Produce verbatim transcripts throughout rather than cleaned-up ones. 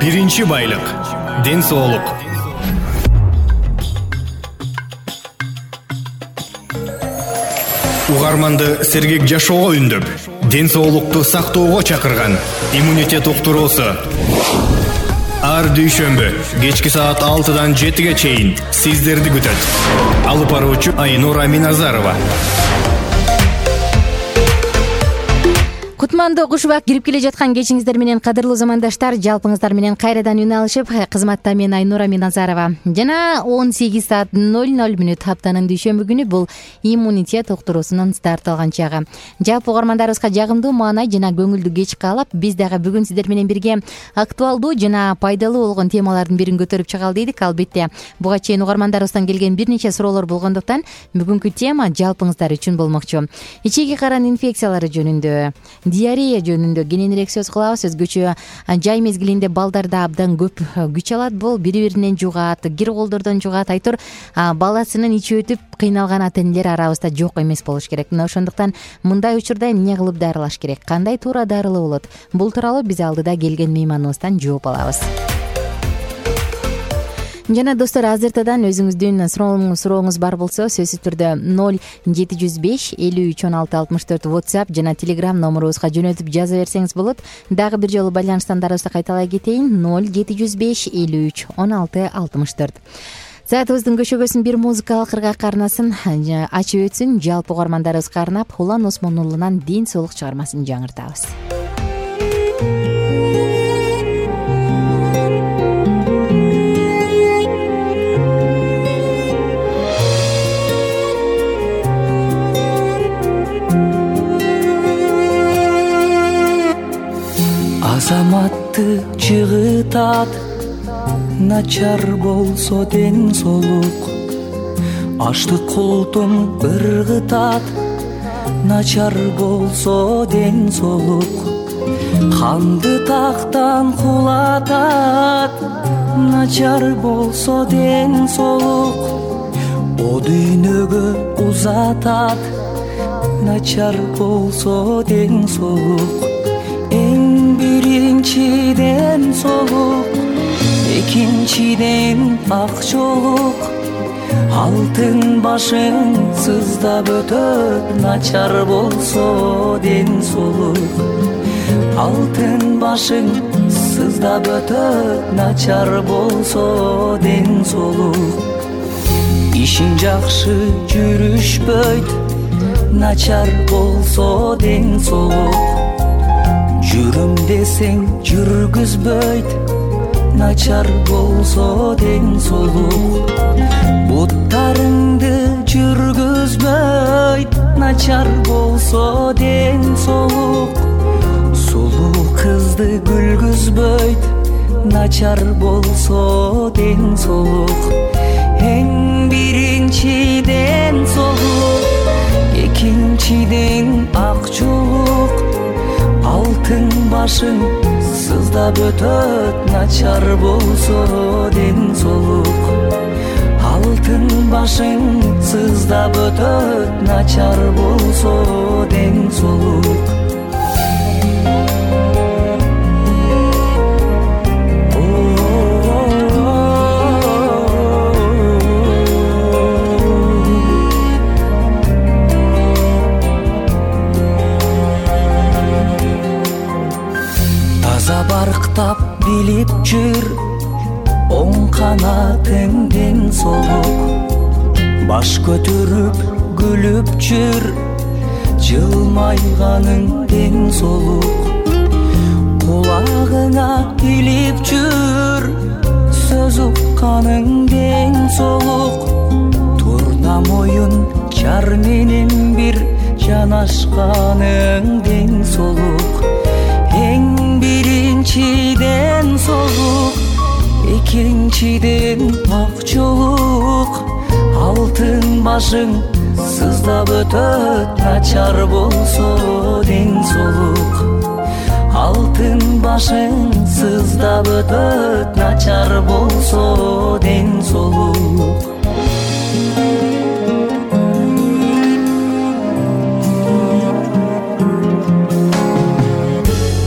Биринчи байлык — ден соолук. Угарманды сергек жашоого үндөп, ден соолукту сактоого чакырган иммунитет уктуруусу. Ар дүйшөмбү кечки саат алтыдан жетиге чейин сиздерди күтөт. Алып баруучу Айнура Миназарова. Кутмандуу куш убак кирип келе жаткан кечиңиздер менен, кадырлуу замандаштар, жалпыңыздар менен кайрадан үн алышып, кызматта мен Айнура Миназарова. Жана он сегиз саат ноль ноль мүнөт аптанын дүйшөмбү күнү бул иммунитет уктуруусунун старт алган чагы. Жалпы угармандарыбызга жагымдуу маанай жана көңүлдүү кеч каалап, биз дагы бүгүн сиздер менен бирге актуалдуу жана пайдалуу болгон темалардын бирин көтөрүп чыгалы дедик. Албетте, буга чейин угармандарыбыздан келген бир нече суроолор болгондуктан бүгүнкү тема жалпыңыздар үчүн болмокчу. Ичеги каран инфекциялары жөнүндө, диарея жөнүндө кененирээк сөз кылабыз. Өзгөчө жай мезгилинде балдарда абдан көп күч алат, бул бири-биринен жугат, кир колдордон жугат. Айтор баласынын ичи өтүп кыйналган ата-энелер арабызда жок эмес болуш керек. Мына ошондуктан мындай учурда эмне кылып дарылаш керек, кандай туура дарылоо болот? Бул тууралуу биз алдыда келген мейманыбыздан жооп алабыз. Жана достор, азыртадан өзүңүздүн сурооңуз бар болсо, сөзсүз түрдө ноль жети жүз беш элүү үч он алты алтымыш төрт WhatsApp жана Telegram номерубузга жөнөтүп жаза берсеңиз болот. Дагы бир жолу байланыш сандарыбызды кайталай кетейин: ноль жети жүз беш элүү үч он алты алтымыш төрт. Саатыбыздын көшөгөсүн бир музыкалык ыргак арнасын ачып өтсүн. Жалпы угармандарыбызга арнап Улан Осмон уулунан Ден соолук чыгармасын жаңыртабыз. Азаматты жыгытат, начар болсо ден соолук. Аштык култун ыргытат, начар болсо ден соолук. Канды тактан кулатат, начар болсо ден соолук. О дүйнөгө узатат, начар болсо ден соолук. Биринчиден соолук, экинчиден акчолук. Алтын башың сыздап өтөт, начар болсо ден соолук. Алтын башың сыздап өтөт, начар болсо ден соолук. Ишин жакшы жүрүшпөйт, начар болсо ден соолук. Жүрүм десең жүргүзбөйт, начар болсо ден соолук. Буттарыңды жүргүзбөйт, начар болсо ден соолук. Сулуу кызды күлгүзбөйт, начар болсо ден соолук. Эң биринчиден соолук, экинчиден акчолук. Алтын башың сыздап өтөт, начар болсо ден соолук. Алтын башың сыздап өтөт, начар болсо ден соолук. Барктап билип жүр, оң канатың ден соолук. Баш көтөрүп күлүп жүр, жылмайганың ден соолук. Кулагыңа илип жүр, сөз укканың ден соолук. Турна моюн жар менен бир жанашканың ден соолук. Эң биринчиден соолук, экинчиден акчолук. Алтын башың сыздап өтөт, начар болсо ден соолук. Алтын башың сыздап өтөт, начар болсо ден соолук.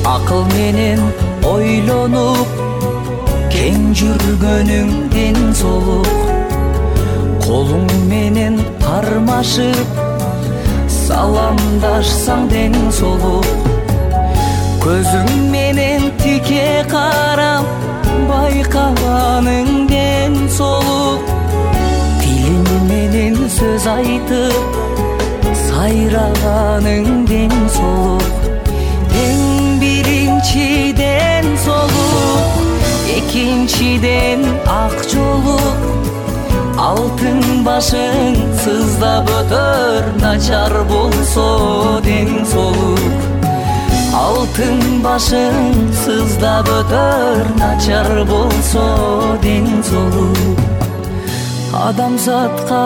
Акыл менен ойлонуп, тең жүргөнүң ден соолук, колуң менен кармашып саламдашсаң ден соолук, көзүң менен тике карап байкаганың ден соолук, тилиң менен сөз айтып сайраганың ден соолук, эң биринчиден соолук, экинчиден ак жолук, алтын башың сыздап өтөр начар болсо ден соолук, алтын башың сыздап өтөр начар болсо ден соолук. Адамзатка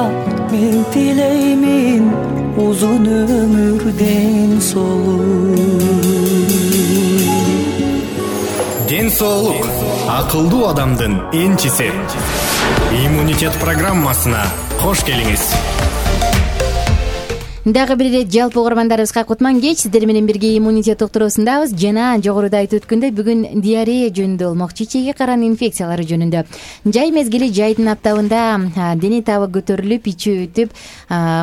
мен тилеймин узун өмүр ден соолук. Ден соолук акылдуу адамдын энчиси. Иммунитет программасына кош келиңиз. Дагы бир ирет жалпы угармандарыбызга кутман кеч, сиздер менен бирге иммунитет уктуруусундабыз жана жогоруда айтып өткөндөй бүгүн диарея жөнүндө болмок, чечеги каран инфекциялары жөнүндө. Жай мезгили, жайдын аптабында дене табы көтөрүлүп, ичи өтүп,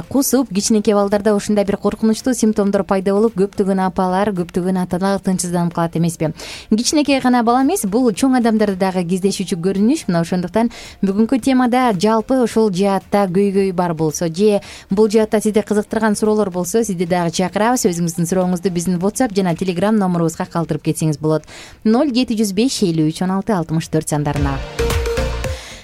кусуп, кичинекей балдарда ушундай бир коркунучтуу симптомдор пайда болуп, көптөгөн апалар, көптөгөн ата-аналар тынчсызданып калат эмеспи. Кичинекей гана бала эмес, бул чоң адамдарда дагы кездешүүчү көрүнүш. Мына ошондуктан бүгүнкү темада жалпы ушул жаатта көйгөй бар болсо же бул жаатта сизди кызыктырган суроолор болсо, сизди дагы чакырабыз. Өзүңүздүн сурооңузду биздин WhatsApp жана Telegram номурубузга калтырып кетсеңиз болот. ноль жети жүз беш элүү үч он алты алтымыш төрт сандарына.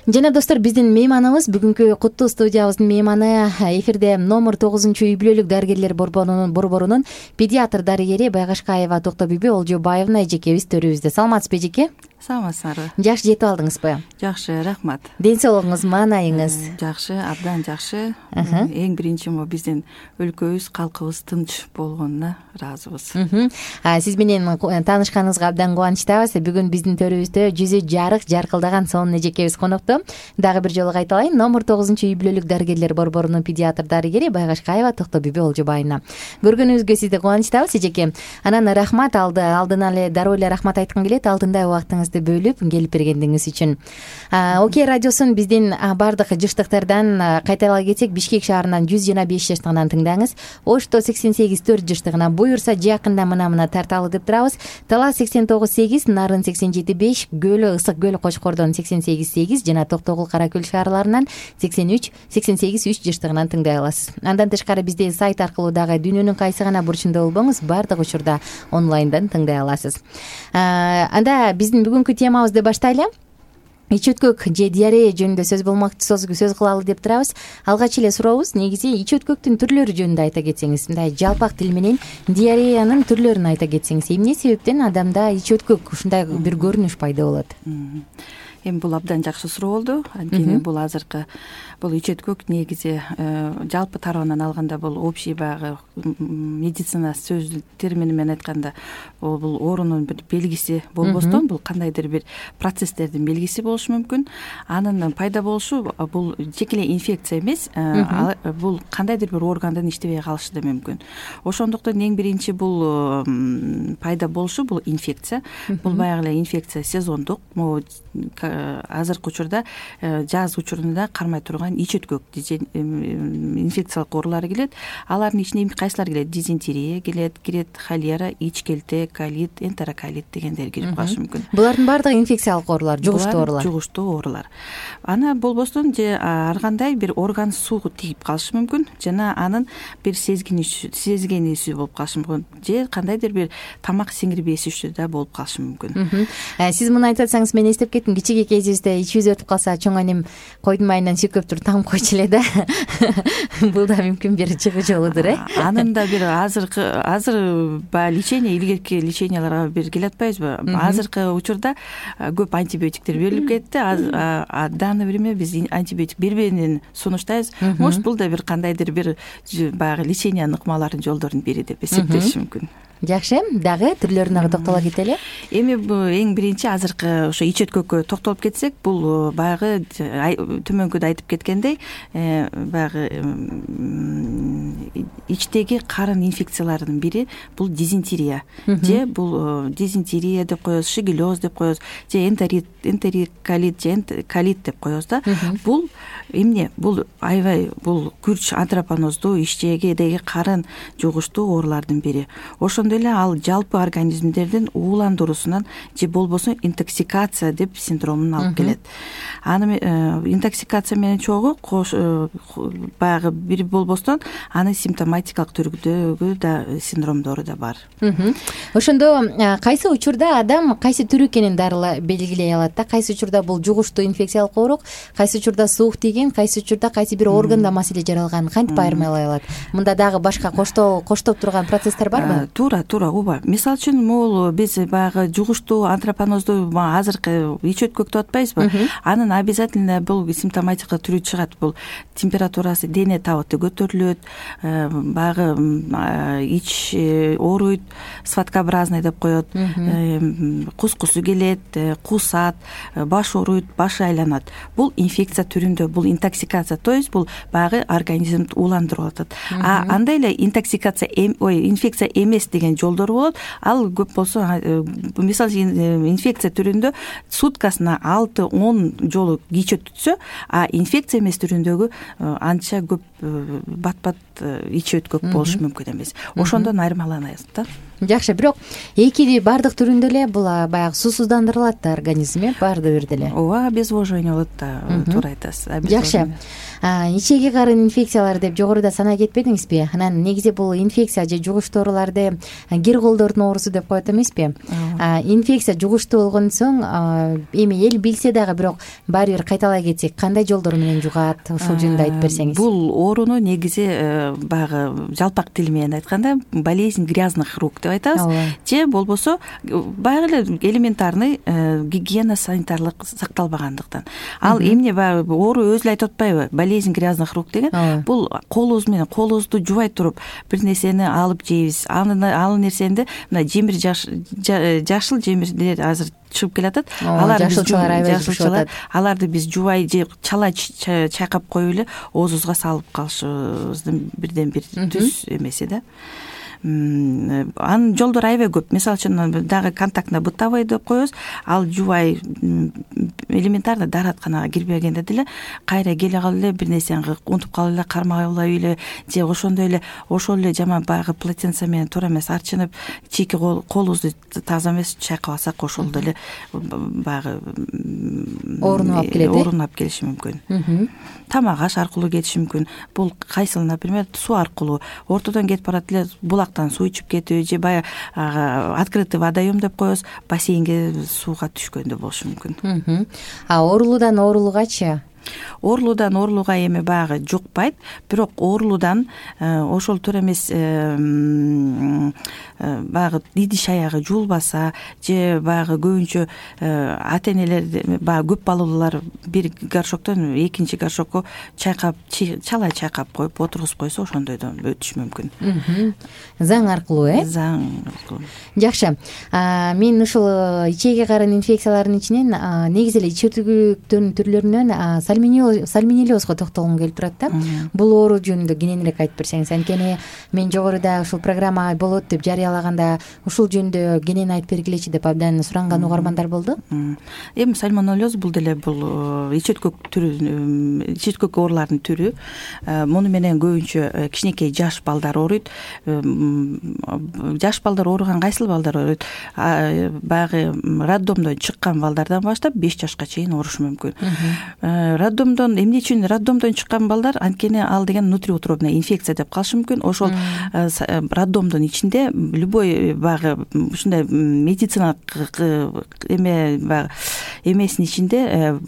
Жана достор, биздин мейманыбыз бүгүнкү куттуу студиябыздын мейманы эфирде номер тогузунчу үй бүлөлүк дарыгерлер борборунун педиатр дарыгери Байгашкаева Токтобүбү Олжобаевна эжекебиз төрүбүздө. Саламатсызбы эжеке? Саламатсыздарбы? Жакшы жетип алдыңызбы? Жакшы, рахмат. Ден соолугуңуз, маанайыңыз? Жакшы, абдан жакшы. Эң биринчи могу биздин өлкөбүз, калкыбыз тынч болгонуна ыраазыбыз. Сиз менен таанышканыбызга абдан кубанычтабыз. Бүгүн биздин төрүбүздө жүзү жарык, жаркылдаган сонун эжекебиз конокто. Дагы бир жолу кайталайын. Номер тогузунчу үй бүлөлүк дарыгерлер борборунун педиатр дарыгери Байгашкаева Токтобүбү Олжобаевна. Көргөнүбүзгө сизди кубанычтабыз эжеке. Анан рахмат, алды алдын эле дароо эле рахмат айткым келет. Алдындай убактыңызды бөлүп келип бергендиңиз үчүн. Окей радиосун биздин баардык жыштыктардан кайталай кетсек, Бишкек шаарынан жүз жыйырма беш жаштыгынан тыңдаңыз. Ошто сексен сегиз төрт жаштыгына, буюрса жакында мына-мына тарталы деп турабыз. Талас сексен тогуз сегиз, Нарын сексен жети беш, Көлө Ысык Көл Кочкордон сексен сегиз сегиз жана Токтогул Кара Көл шаарларынан сексен үч сексен сегиз үч жаштыгынан тыңдай аласыз. Андан тышкары бизде сайт аркылуу дагы дүйнөнүн кайсы гана бурчунда болбоңуз, баардык учурда онлайндан тыңдай аласыз. Анда биздин бүгүнкү темабызды баштайлы. Ич өткөк же диарея жөнүндө сөз болмок, сөз кылалы деп турабыз. Алгач эле сурообуз, негизи ич өткөктүн түрлөрү жөнүндө айта кетсеңиз, мындай жалпак тил менен диареянын түрлөрүн айта кетсеңиз, эмне себептен адамда ич өткөк ушундай бир көрүнүш пайда болот? Эми бул абдан жакшы суроо болду. Анткени бул азыркы бул ич өткөк негизи жалпы тарабынан алганда бул общий баягы медицина сөз термини менен айтканда бул оорунун бир белгиси болбостон, бул кандайдыр бир процесстердин белгиси болушу мүмкүн. Анын пайда болушу бул жеке эле инфекция эмес, бул кандайдыр бир органдын иштебей калышы да мүмкүн. Ошондуктан эң биринчи бул пайда болушу бул инфекция. Бул баягы эле инфекция сезондук, могу азыркы учурда жаз учурунда кармай турган ич өткөк инфекциялык оорулар келет. Алардын ичине кайсылар келет? Дизентерия келет, кирет холера, ич келте, колит, энтероколит дегендер кирип калышы мүмкүн. Булардын баардыгы инфекциялык оорулар, жугуштуу оорулар. Жугуштуу оорулар. Аны болбостон же ар кандай бир орган суу тийип калышы мүмкүн, жана анын бир сезгенүүсү, сезгенүүсү болуп калышы мүмкүн, же кандайдыр бир тамак сиңирбесүчү да болуп калышы мүмкүн. Сиз муну айтып атсаңыз, мен эстеп кеттим, кичине кезибизде ичибиз өтүп калса, чоң анем койдун майынан сүйкөп туруп тагып койчу эле да. Бул да мүмкүн бир чыгуу жолудур, э? Анын да бир азыркы азыр баягы лечение, илгерки леченияларга бир келе атпайбызбы? Азыркы учурда көп антибиотиктер берилип кетти. А данный время биз антибиотик бербеенин сунуштайбыз. Может, бул да бир кандайдыр бир баягы лечениянын ыкмаларынын жолдорунун бири деп эсептешим мүмкүн. жакшы, дагы түрлөрүнө токтоло кетели. Эми эң биринчи азыркы ошо ич өткөккө токтолуп кетсек, бул баягы төмөнкүдө айтып кеткендей, баягы ичтеги карын инфекцияларынын бири бул дизентерия же бул дизентерия деп коебуз, шигеллез деп коебуз, же энтерит, энтероколит же колит деп коебуз да. Бул эмне? Бул аябай бул күрч антропоноздуу ичтегидеги карын жугуштуу оорулардын бири. Ошондой эле ал жалпы организмдердин ууландыруусунан же болбосо интоксикация деп синдромун алып келет. Аны интоксикация менен чогуу баягы бир болбостон анын симптоматикалык түрүдөгү да синдромдору да бар. Ошондо кайсы учурда адам кайсы түрү экенин дарыла белгилей алат да? Кайсы учурда бул жугуштуу инфекциялык оорук, кайсы учурда суук тийген, кайсы учурда кайсы бир органда маселе жаралган, кантип айырмалай алат? Мында дагы башка коштоо коштоп турган процесстер барбы? Туура, туура, ооба. Мисалы үчүн могул биз баягы жугуштуу антропоноздуу азыркы ич өткөктү атпайбызбы? Анын обязательно бул симптоматика түрү чыгат. Бул температурасы дене табыты көтөрүлөт, баягы ич ооруйт, сваткообразный деп коет, кускусу келет, кусат, баш ооруйт, башы айланат. Бул инфекция түрүндө, бул интоксикация, то есть бул баягы организмди ууландырып атат. А андай эле интоксикация, ой, инфекция эмес деген жолдору болот. Ал көп болсо, мисалы инфекция түрүндө суткасына алты он жолу кичет түтсө, а инфекция эмес түрүндөгү анча көп бат-бат ич өткөк болушу мүмкүн эмес. Ошондон айырмаланат да. Жакшы, бирок эки бардык түрүндө эле бул баягы суусуздандырылат да организм, э, баардык бирде эле. Ооба, обезвоживание болот да, туура айтасыз. Жакшы. Ичеги карын инфекциялары деп жогоруда санай кетпедиңизби? Анан негизи бул инфекция же жугуштуу ооруларды кир колдордун оорусу деп коет эмеспи? Инфекция жугуштуу болгон соң эми эл билсе дагы, бирок баары бир кайталай кетсек, кандай жолдор менен жугат? Ушул жөнүндө айтып берсеңиз. Бул ооруну негизи баягы жалпак тил менен айтканда болезнь грязных рук деп айтабыз. Же болбосо баягы эле элементарный гигиена санитарлык сакталбагандыктан. Ал эмне баягы оору өзү эле айтып атпайбы? Болезнь грязных рук деген бул колубуз менен колубузду жубай туруп бир нерсени алып жейбиз. Ал нерсени мына жемир жашыл жемирлер азыр чыгып келатат. Алар жашылчалар аябай жашылчалар. Аларды биз жубай же чала чайкап коюп эле оозубузга салып калышыбыздын бирден бир түз эмеси да. Анын жолдору аябай көп. Мисалы үчүн дагы контактный бытовой деп коебуз. Ал жубай элементарно дааратканага кирбегенде деле кайра келе калып эле бир нерсени унутуп калып эле кармай албай эле же ошондой эле ошол эле жаман баягы полотенце менен туура эмес арчынып чийки колубузду таза эмес чайкап алсак ошол эле баягы оорунуп алып келет. Оорунуп алып келиши мүмкүн. Тамак аш аркылуу кетиши мүмкүн. Бул кайсыл, например, суу аркылуу ортодон кетип барат эле булактан суу ичип кетип же баягы открытый водоем деп коебуз, бассейнге сууга түшкөндө болушу мүмкүн. А оорулуудан оорулуугачы? Оорулуудан оорулууга эми баягы жукпайт, бирок оорулуудан ошол туура эмес баягы идиш аягы жуулбаса же баягы көбүнчө ата энелер баягы көп балалуулар бир горшоктон экинчи горшокко чайкап чала чайкап коюп отургузуп койсо ошондойдон өтүшү мүмкүн. Заң аркылуу, э? Заң аркылуу. Жакшы. Мен ушул ичеги карын инфекцияларынын ичинен негизи эле ич өткөктөрдүн түрлөрүнөн сальмонеллезго токтолгум келип турат да. Бул оору жөнүндө кененирээк айтып берсеңиз. Анткени мен жогоруда ушул программа болот деп жарыялаганда ушул жөнүндө кенен айтып бергилечи деп абдан суранган угармандар болду. Эми сальмонеллез бул деле бул ич өткөк түрү, ич өткөк оорулардын түрү. Муну менен көбүнчө кичинекей жаш балдар ооруйт. Жаш балдар ооруган кайсыл балдар ооруйт? Баягы роддомдон чыккан балдардан баштап беш жашка чейин оорушу мүмкүн. Роддомдон эмне үчүн роддомдон чыккан балдар? Анткени ал деген внутриутробная инфекция деп калышы мүмкүн. Ошол роддомдун ичинде любой баягы ушундай медициналык эме баягы эмесинин ичинде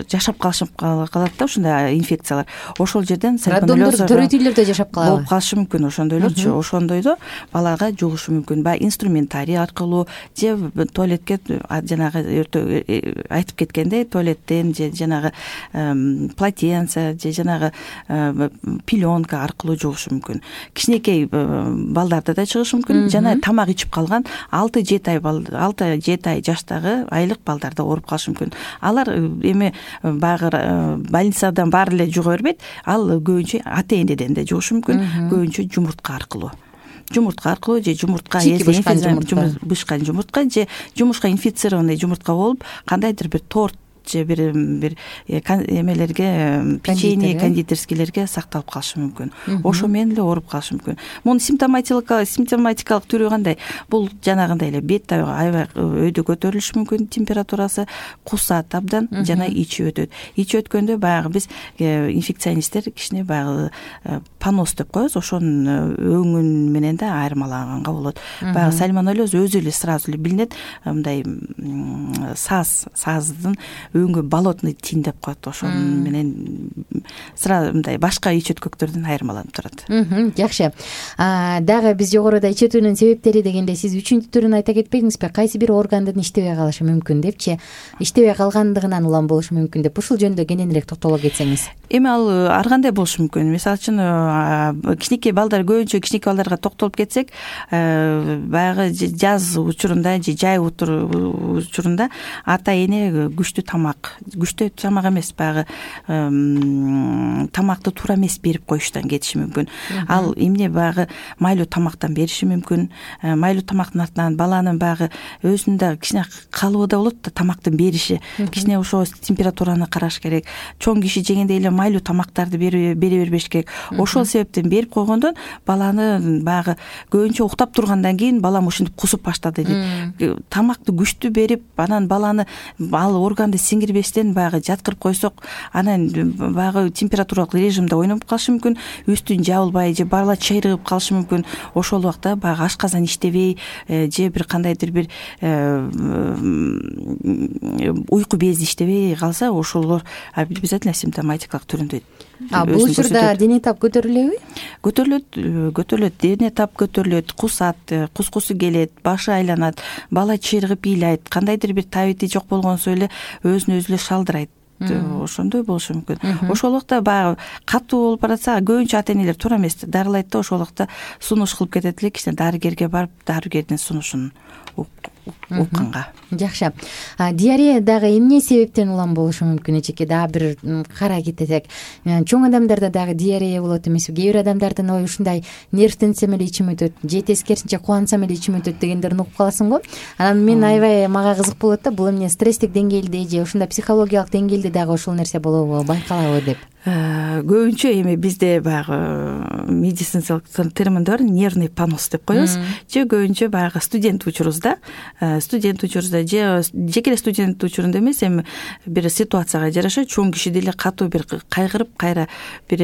жашап калышып калат да ушундай инфекциялар. Ошол жерден роддомдор төрөт үйлөрдө жашап калабы? Болуп калышы мүмкүн ошондойлорчу. Ошондойдо балага жугушу мүмкүн. Баягы инструментарий аркылуу же туалетке жанагы айтып кеткендей туалеттен же жанагы полотенце же жанагы пеленка аркылуу жугушу мүмкүн. Кичинекей балдарда да чыгышы мүмкүн. Жана тамак ичип калган алты жети ай алты жети ай жаштагы айлык балдарда ооруп калышы мүмкүн. Алар эми баягы больницадан баары эле жуга бербейт. Ал көбүнчө ата энеден да жугушу мүмкүн. Көбүнчө жумуртка аркылуу. Жумуртка аркылуу же жумуртка бышкан жумуртка же жумуртка инфицированный жумуртка болуп кандайдыр бир торт же бир бир эмелерге печенье кондитерскийлерге сакталып калышы мүмкүн. Ошо менен эле ооруп калышы мүмкүн. Мунун симптоматикалык симптоматикалык түрү кандай? Бул жанагындай эле бет аябай өйдө көтөрүлүшү мүмкүн, температурасы кусат абдан жана ичи өтөт. Ичи өткөндө баягы биз инфекционисттер кичине баягы понос деп коебуз, ошонун өңүн менен да айырмаланганга болот. Баягы сальмонеллез өзү эле сразу эле билинет, мындай саз, саздын өңгө болотный тин деп коет. Ошол менен сразу мындай башка ич өткөктөрдөн айырмаланып турат. Жакшы. Дагы биз жогоруда ич өтүүнүн себептери дегенде сиз үчүнчү түрүн айта кетпедиңизби? Кайсы бир органдын иштебей калышы мүмкүн депчи, иштебей калгандыгынан улам болушу мүмкүн деп ушул жөнүндө кененирээк токтоло кетсеңиз. Эми ал ар кандай болушу мүмкүн. Мисалы үчүн кичинекей балдар, көбүнчө кичинекей балдарга токтолуп кетсек, баягы жаз учурунда же жай учурунда ата эне күчтүү тамак, күчтүү тамак эмес, баягы тамакты туура эмес берип коюштан кетиши мүмкүн. Ал эмне баягы майлуу тамактан бериши мүмкүн. Майлуу тамактын артынан баланын баягы өзүнүн да кичине калыбы да болот да тамактын бериши. Кичине ошо температураны караш керек. Чоң киши жегендей эле майлуу тамактарды бере бербеш керек. Ошол себептен берип койгондон баланы баягы көбүнчө уктап тургандан кийин балам ушинтип кусуп баштады дейт. Тамакты күчтүү берип, анан баланы ал органды сиңирбестен баягы жаткырып койсок, анан баягы температуралык режимде ойноп калышы мүмкүн, үстүн жабылбай же бала чайрыгып калышы мүмкүн. Ошол убакта баягы ашказан иштебей же бир кандайдыр бир уйку бези иштебей калса, ошолор обязательно симптоматикалык түрүндө. А бул учурда дене тап көтөрүлөбү? Көтөрүлөт, көтөрүлөт, дене тап көтөрүлөт, кусат, кускусу келет, башы айланат, бала чыйрыгып ыйлайт, кандайдыр бир табити жок болгонсо эле өзүн өзү эле шалдырайт. Ошондой болушу мүмкүн. Ошол убакта баягы катуу болуп баратса, көбүнчө ата энелер туура эмес дарылайт да, ошол убакта сунуш кылып кетет эле, кичине дарыгерге барып, дарыгердин сунушун укканга. Жакшы. Диарея дагы эмне себептен улам болушу мүмкүн? Эчеке дагы бир карай кетсек, чоң адамдарда дагы диарея болот эмеспи? Кээ бир адамдардын ой ушундай нервтенсем эле ичим өтөт, же тескерисинче кубансам эле ичим өтөт дегендерин угуп каласың го. Анан мен аябай мага кызык болот да, бул эмне стресстик деңгээлде же ушундай психологиялык деңгээлде дагы ошол нерсе болобу, байкалабы деп. Көбүнчө эми бизде баягы медициналык терминдер нервный понос деп коебуз. Же көбүнчө баягы студент учурубузда, студент учурубузда же жеке эле студент учурунда эмес, эми бир ситуацияга жараша чоң киши деле катуу бир кайгырып, кайра бир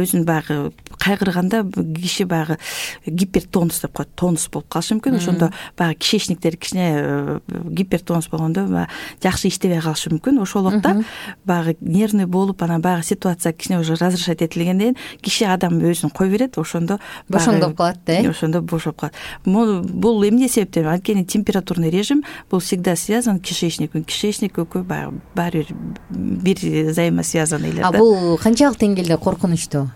өзүн баягы кайгырганда киши баягы гипертонус деп коет, тонус болуп калышы мүмкүн. Ошондо баягы кишечниктер кичине гипертонус болгондо жакшы иштебей калышы мүмкүн. Ошол убакта баягы нервный болуп, анан баягы ситуация кичине уже разрешать этилгенден киши адам өзүн кой берет, ошондо бошоңдоп калат да, э? Ошондо бошоп калат. Бул эмне себептен? Анткени температурный режим бул всегда связан кишечник, кишечник экөө баары бир взаимосвязанный эле да. А бул канчалык деңгээлде коркунучтуу?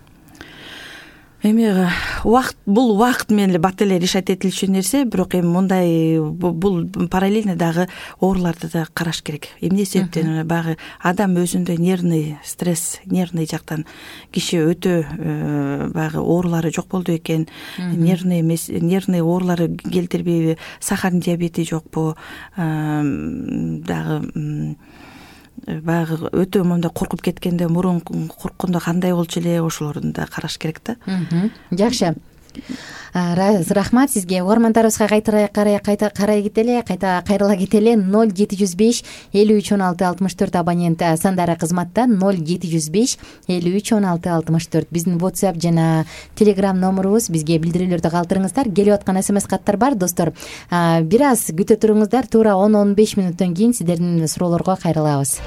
Эми убакыт, бул убакыт менен эле бат эле решать этилчү нерсе, бирок эми мындай бул параллельно дагы ооруларды да караш керек. Эмне себептен? Баягы адам өзүндө нервный стресс, нервный жактан киши өтө баягы оорулары жок болду экен, нервный эмес, нервный оорулары келтирбейби, сахарный диабети жокпу, дагы баягы өтө монда коркуп кеткенде, мурун корккондо кандай болчу эле, ошолорду да караш керек да. Жакшы. Рахмат сизге. Угармандарыбызга кайта кайта карай кетели, кайта кайрыла кетели. ноль жети жүз беш элүү үч он алты алтымыш төрт абонент сандары кызматта. ноль жети жүз беш элүү үч он алты алтымыш төрт биздин WhatsApp жана Telegram номурубуз. Бизге билдирүүлөрдү калтырыңыздар. Келип аткан смс каттар бар достор. Бир аз күтө туруңуздар. Туура он он беш мүнөттөн кийин сиздердин суроолорго кайрылабыз.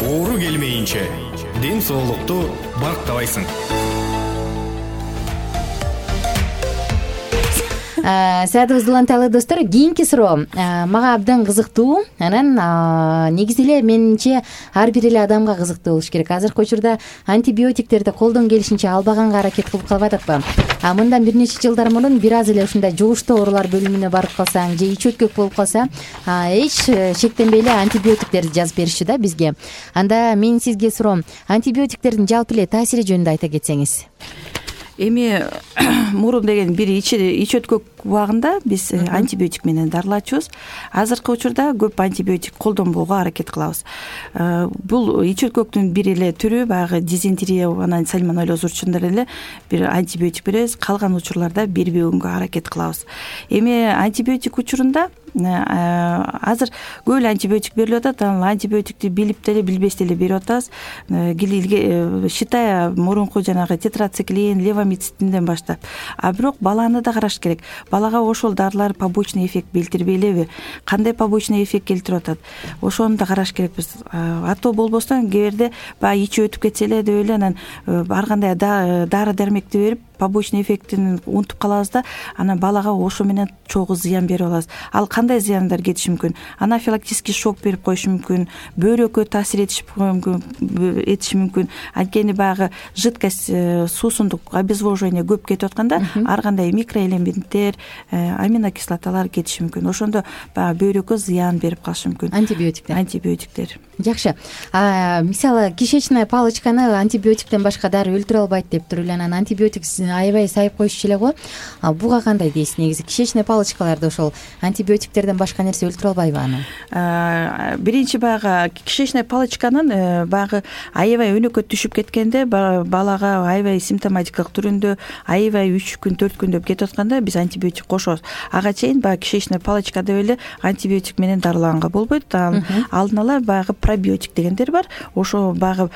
Оору келмейинче ден соолукту барктабайсың. Саатыбыз уланталы достор. Кийинки суроо мага абдан кызыктуу. Анан негизи эле менимче ар бир эле адамга кызыктуу болуш керек. Азыркы учурда антибиотиктерди колдон келишинче албаганга аракет кылып калбадыкпы? А мындан бир нече жылдар мурун бир аз эле ушундай жугуштуу оорулар бөлүмүнө барып калсаң же ич өткөк болуп калса, эч шектенбей эле антибиотиктерди жазып беришчү да бизге. Анда мен сизге суроом, антибиотиктердин жалпы эле таасири жөнүндө айта кетсеңиз. Эми мурун деген бир ич ич өткөк убагында биз антибиотик менен дарылачубуз. Азыркы учурда көп антибиотик колдонбоого аракет кылабыз. Бул ич өткөктүн бир эле түрү, баягы дизентерия, анан сальмонеллез учурунда эле бир антибиотик беребиз, калган учурларда бербөгөнгө аракет кылабыз. Эми антибиотик учурунда азыр көп эле антибиотик берилип атат. Ал антибиотикти билип деле билбес деле берип атабыз. Считая мурунку жанагы тетрациклин, левомицидинден баштап. А бирок баланы да караш керек. Балага ошол дарылар побочный эффект билдирбей элеби? Кандай побочный эффект келтирип атат? Ошону да караш керекпиз. Ато болбостон кээ бирде баягы ичи өтүп кетсе эле деп эле анан ар кандай дары дармекти берип побочный эффектин унутуп калабыз да, анан балага ошо менен чогуу зыян берип алабыз. Ал кандай зыяндар кетиши мүмкүн? Анафилактический шок берип коюшу мүмкүн, бөйрөккө таасир этиши мүмкүн. Анткени баягы жидкость, суусундук, обезвоживание көп кетип атканда ар кандай микроэлементтер, аминокислоталар кетиши мүмкүн. Ошондо баягы бөйрөккө зыян берип калышы мүмкүн. Антибиотиктер. Антибиотиктер. Жакшы. Мисалы, кишечная палочканы антибиотиктен башка дары өлтүрө албайт дептир эле. Анан антибиотик аябай сайып коюшчу эле го. Буга кандай дейсиз? Негизи кишечная палочкаларды ошол антибиотиктерден башка нерсе өлтүрө албайбы аны? Биринчи баягы кишечная палочканын баягы аябай өнөкөт түшүп кеткенде, балага аябай симптоматикалык түрүндө аябай үч күн төрт күн деп кетип атканда биз антибиотик кошобуз. Ага чейин баягы кишечная палочка деп эле антибиотик менен дарылаганга болбойт. Алдын ала баягы пробиотик дегендер бар. Ошо баягы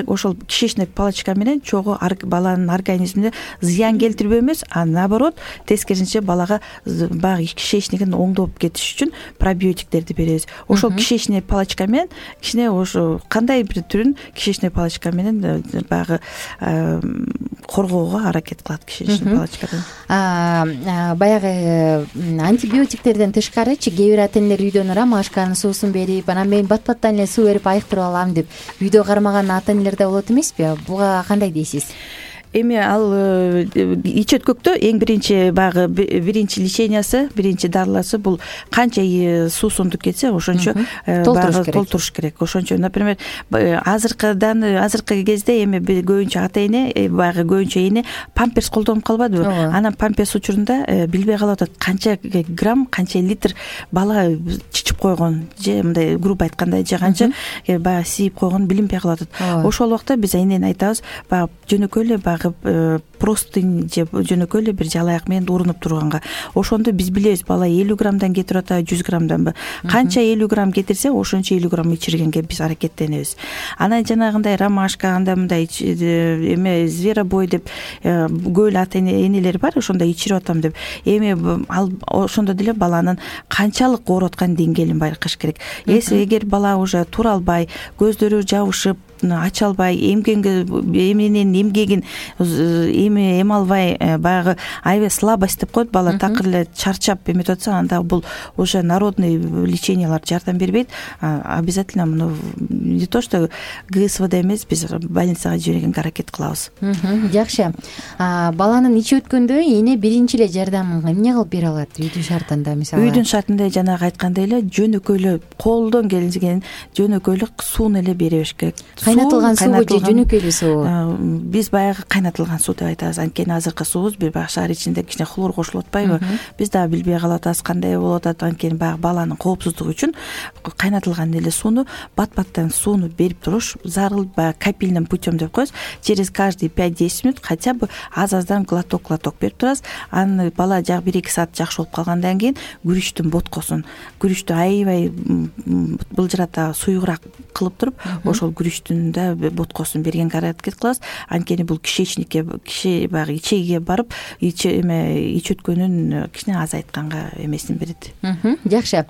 ошол кишечная палочка менен чогуу баланын организмине зыян келтирбөө эмес, а наоборот, тескерисинче балага баягы кишечнигин оңдоп кетиш үчүн пробиотиктерди беребиз. Ошол кишечная палочка менен кичине ошо кандай бир түрүн кишечная палочка менен баягы коргоого аракет кылат кишечная палочкадан. Баягы антибиотиктерден тышкарычы кээ бир ата энелер үйдөн ромашканын суусун берип, анан мен бат-баттан эле суу берип айыктырып алам деп үйдө кармаган ата энелер да болот эмеспи? Буга кандай дейсиз? Эми ал ич өткөктө эң биринчи баягы биринчи лечениясы, биринчи дарыласы бул канча суусундук кетсе, ошончо баягы толтуруш керек. Ошончо, например, азыркыдан азыркы кезде эми көбүнчө ата эне, баягы көбүнчө эне памперс колдонуп калбадыбы? Анан памперс учурунда билбей калып атат канча грамм, канча литр бала чичип койгон, же мындай грубо айтканда же канча баягы сийип койгон билинбей калып атат. Ошол убакта биз энени айтабыз, баягы жөнөкөй эле баягы простынь же жөнөкөй эле бир жалаяк менен урунуп турганга. Ошондо биз билебиз, бала элүү граммдан кетирип атабы, жүз граммданбы? Канча элүү грамм кетирсе, ошончо элүү грамм ичиргенге биз аракеттенебиз. Анан жанагындай ромашка, анда мындай эме зверобой деп көп эле ата энелер бар, ошондо ичирип атам деп. Эми ал ошондо деле баланын канчалык ооруп аткан деңгээлин байкаш керек. Эгер бала уже тура албай, көздөрү жабышып, ача албай, эмгенге эменин эмгегин эме эме албай, баягы аябай слабость деп коет, бала такыр эле чарчап эметип атса, анда бул уже народный лечениялар жардам бербейт. Обязательно муну не то что ГСВД эмес, биз больницага жибергенге аракет кылабыз. Жакшы. Баланын ичи өткөндө эне биринчи эле жардамын эмне кылып бере алат үйдүн шартында? Мисалы, үйдүн шартында жанагы айткандай эле жөнөкөй эле колдон келген жөнөкөй эле сууну эле бере бериш керек. кайнатылган суубу же жөнөкөй эле суу? Биз баягы кайнатылган суу деп айтабыз. Анткени азыркы суубуз бир баягы шаар ичинде кичине хлор кошулуп атпайбы? Биз дагы билбей калып атабыз кандай болуп атат. Анткени баягы баланын коопсуздугу үчүн кайнатылган эле сууну бат-баттан сууну берип туруш зарыл, баягы капельным путем деп коебуз. Через каждые пять-десять минут хотя бы аз-аздан глоток-глоток берип турабыз. Аны бала жак бир эки саат жакшы болуп калгандан кийин күрүчтүн боткосун, күрүчтү аябай былжырата суюгураак кылып туруп, ошол күрүчтүн да боткосун бергенге аракет кылабыз. Анткени бул кишечникке, киши баягы ичегиге барып, эме ич өткөнүн кичине азайтканга эмесин берет. Жакшы.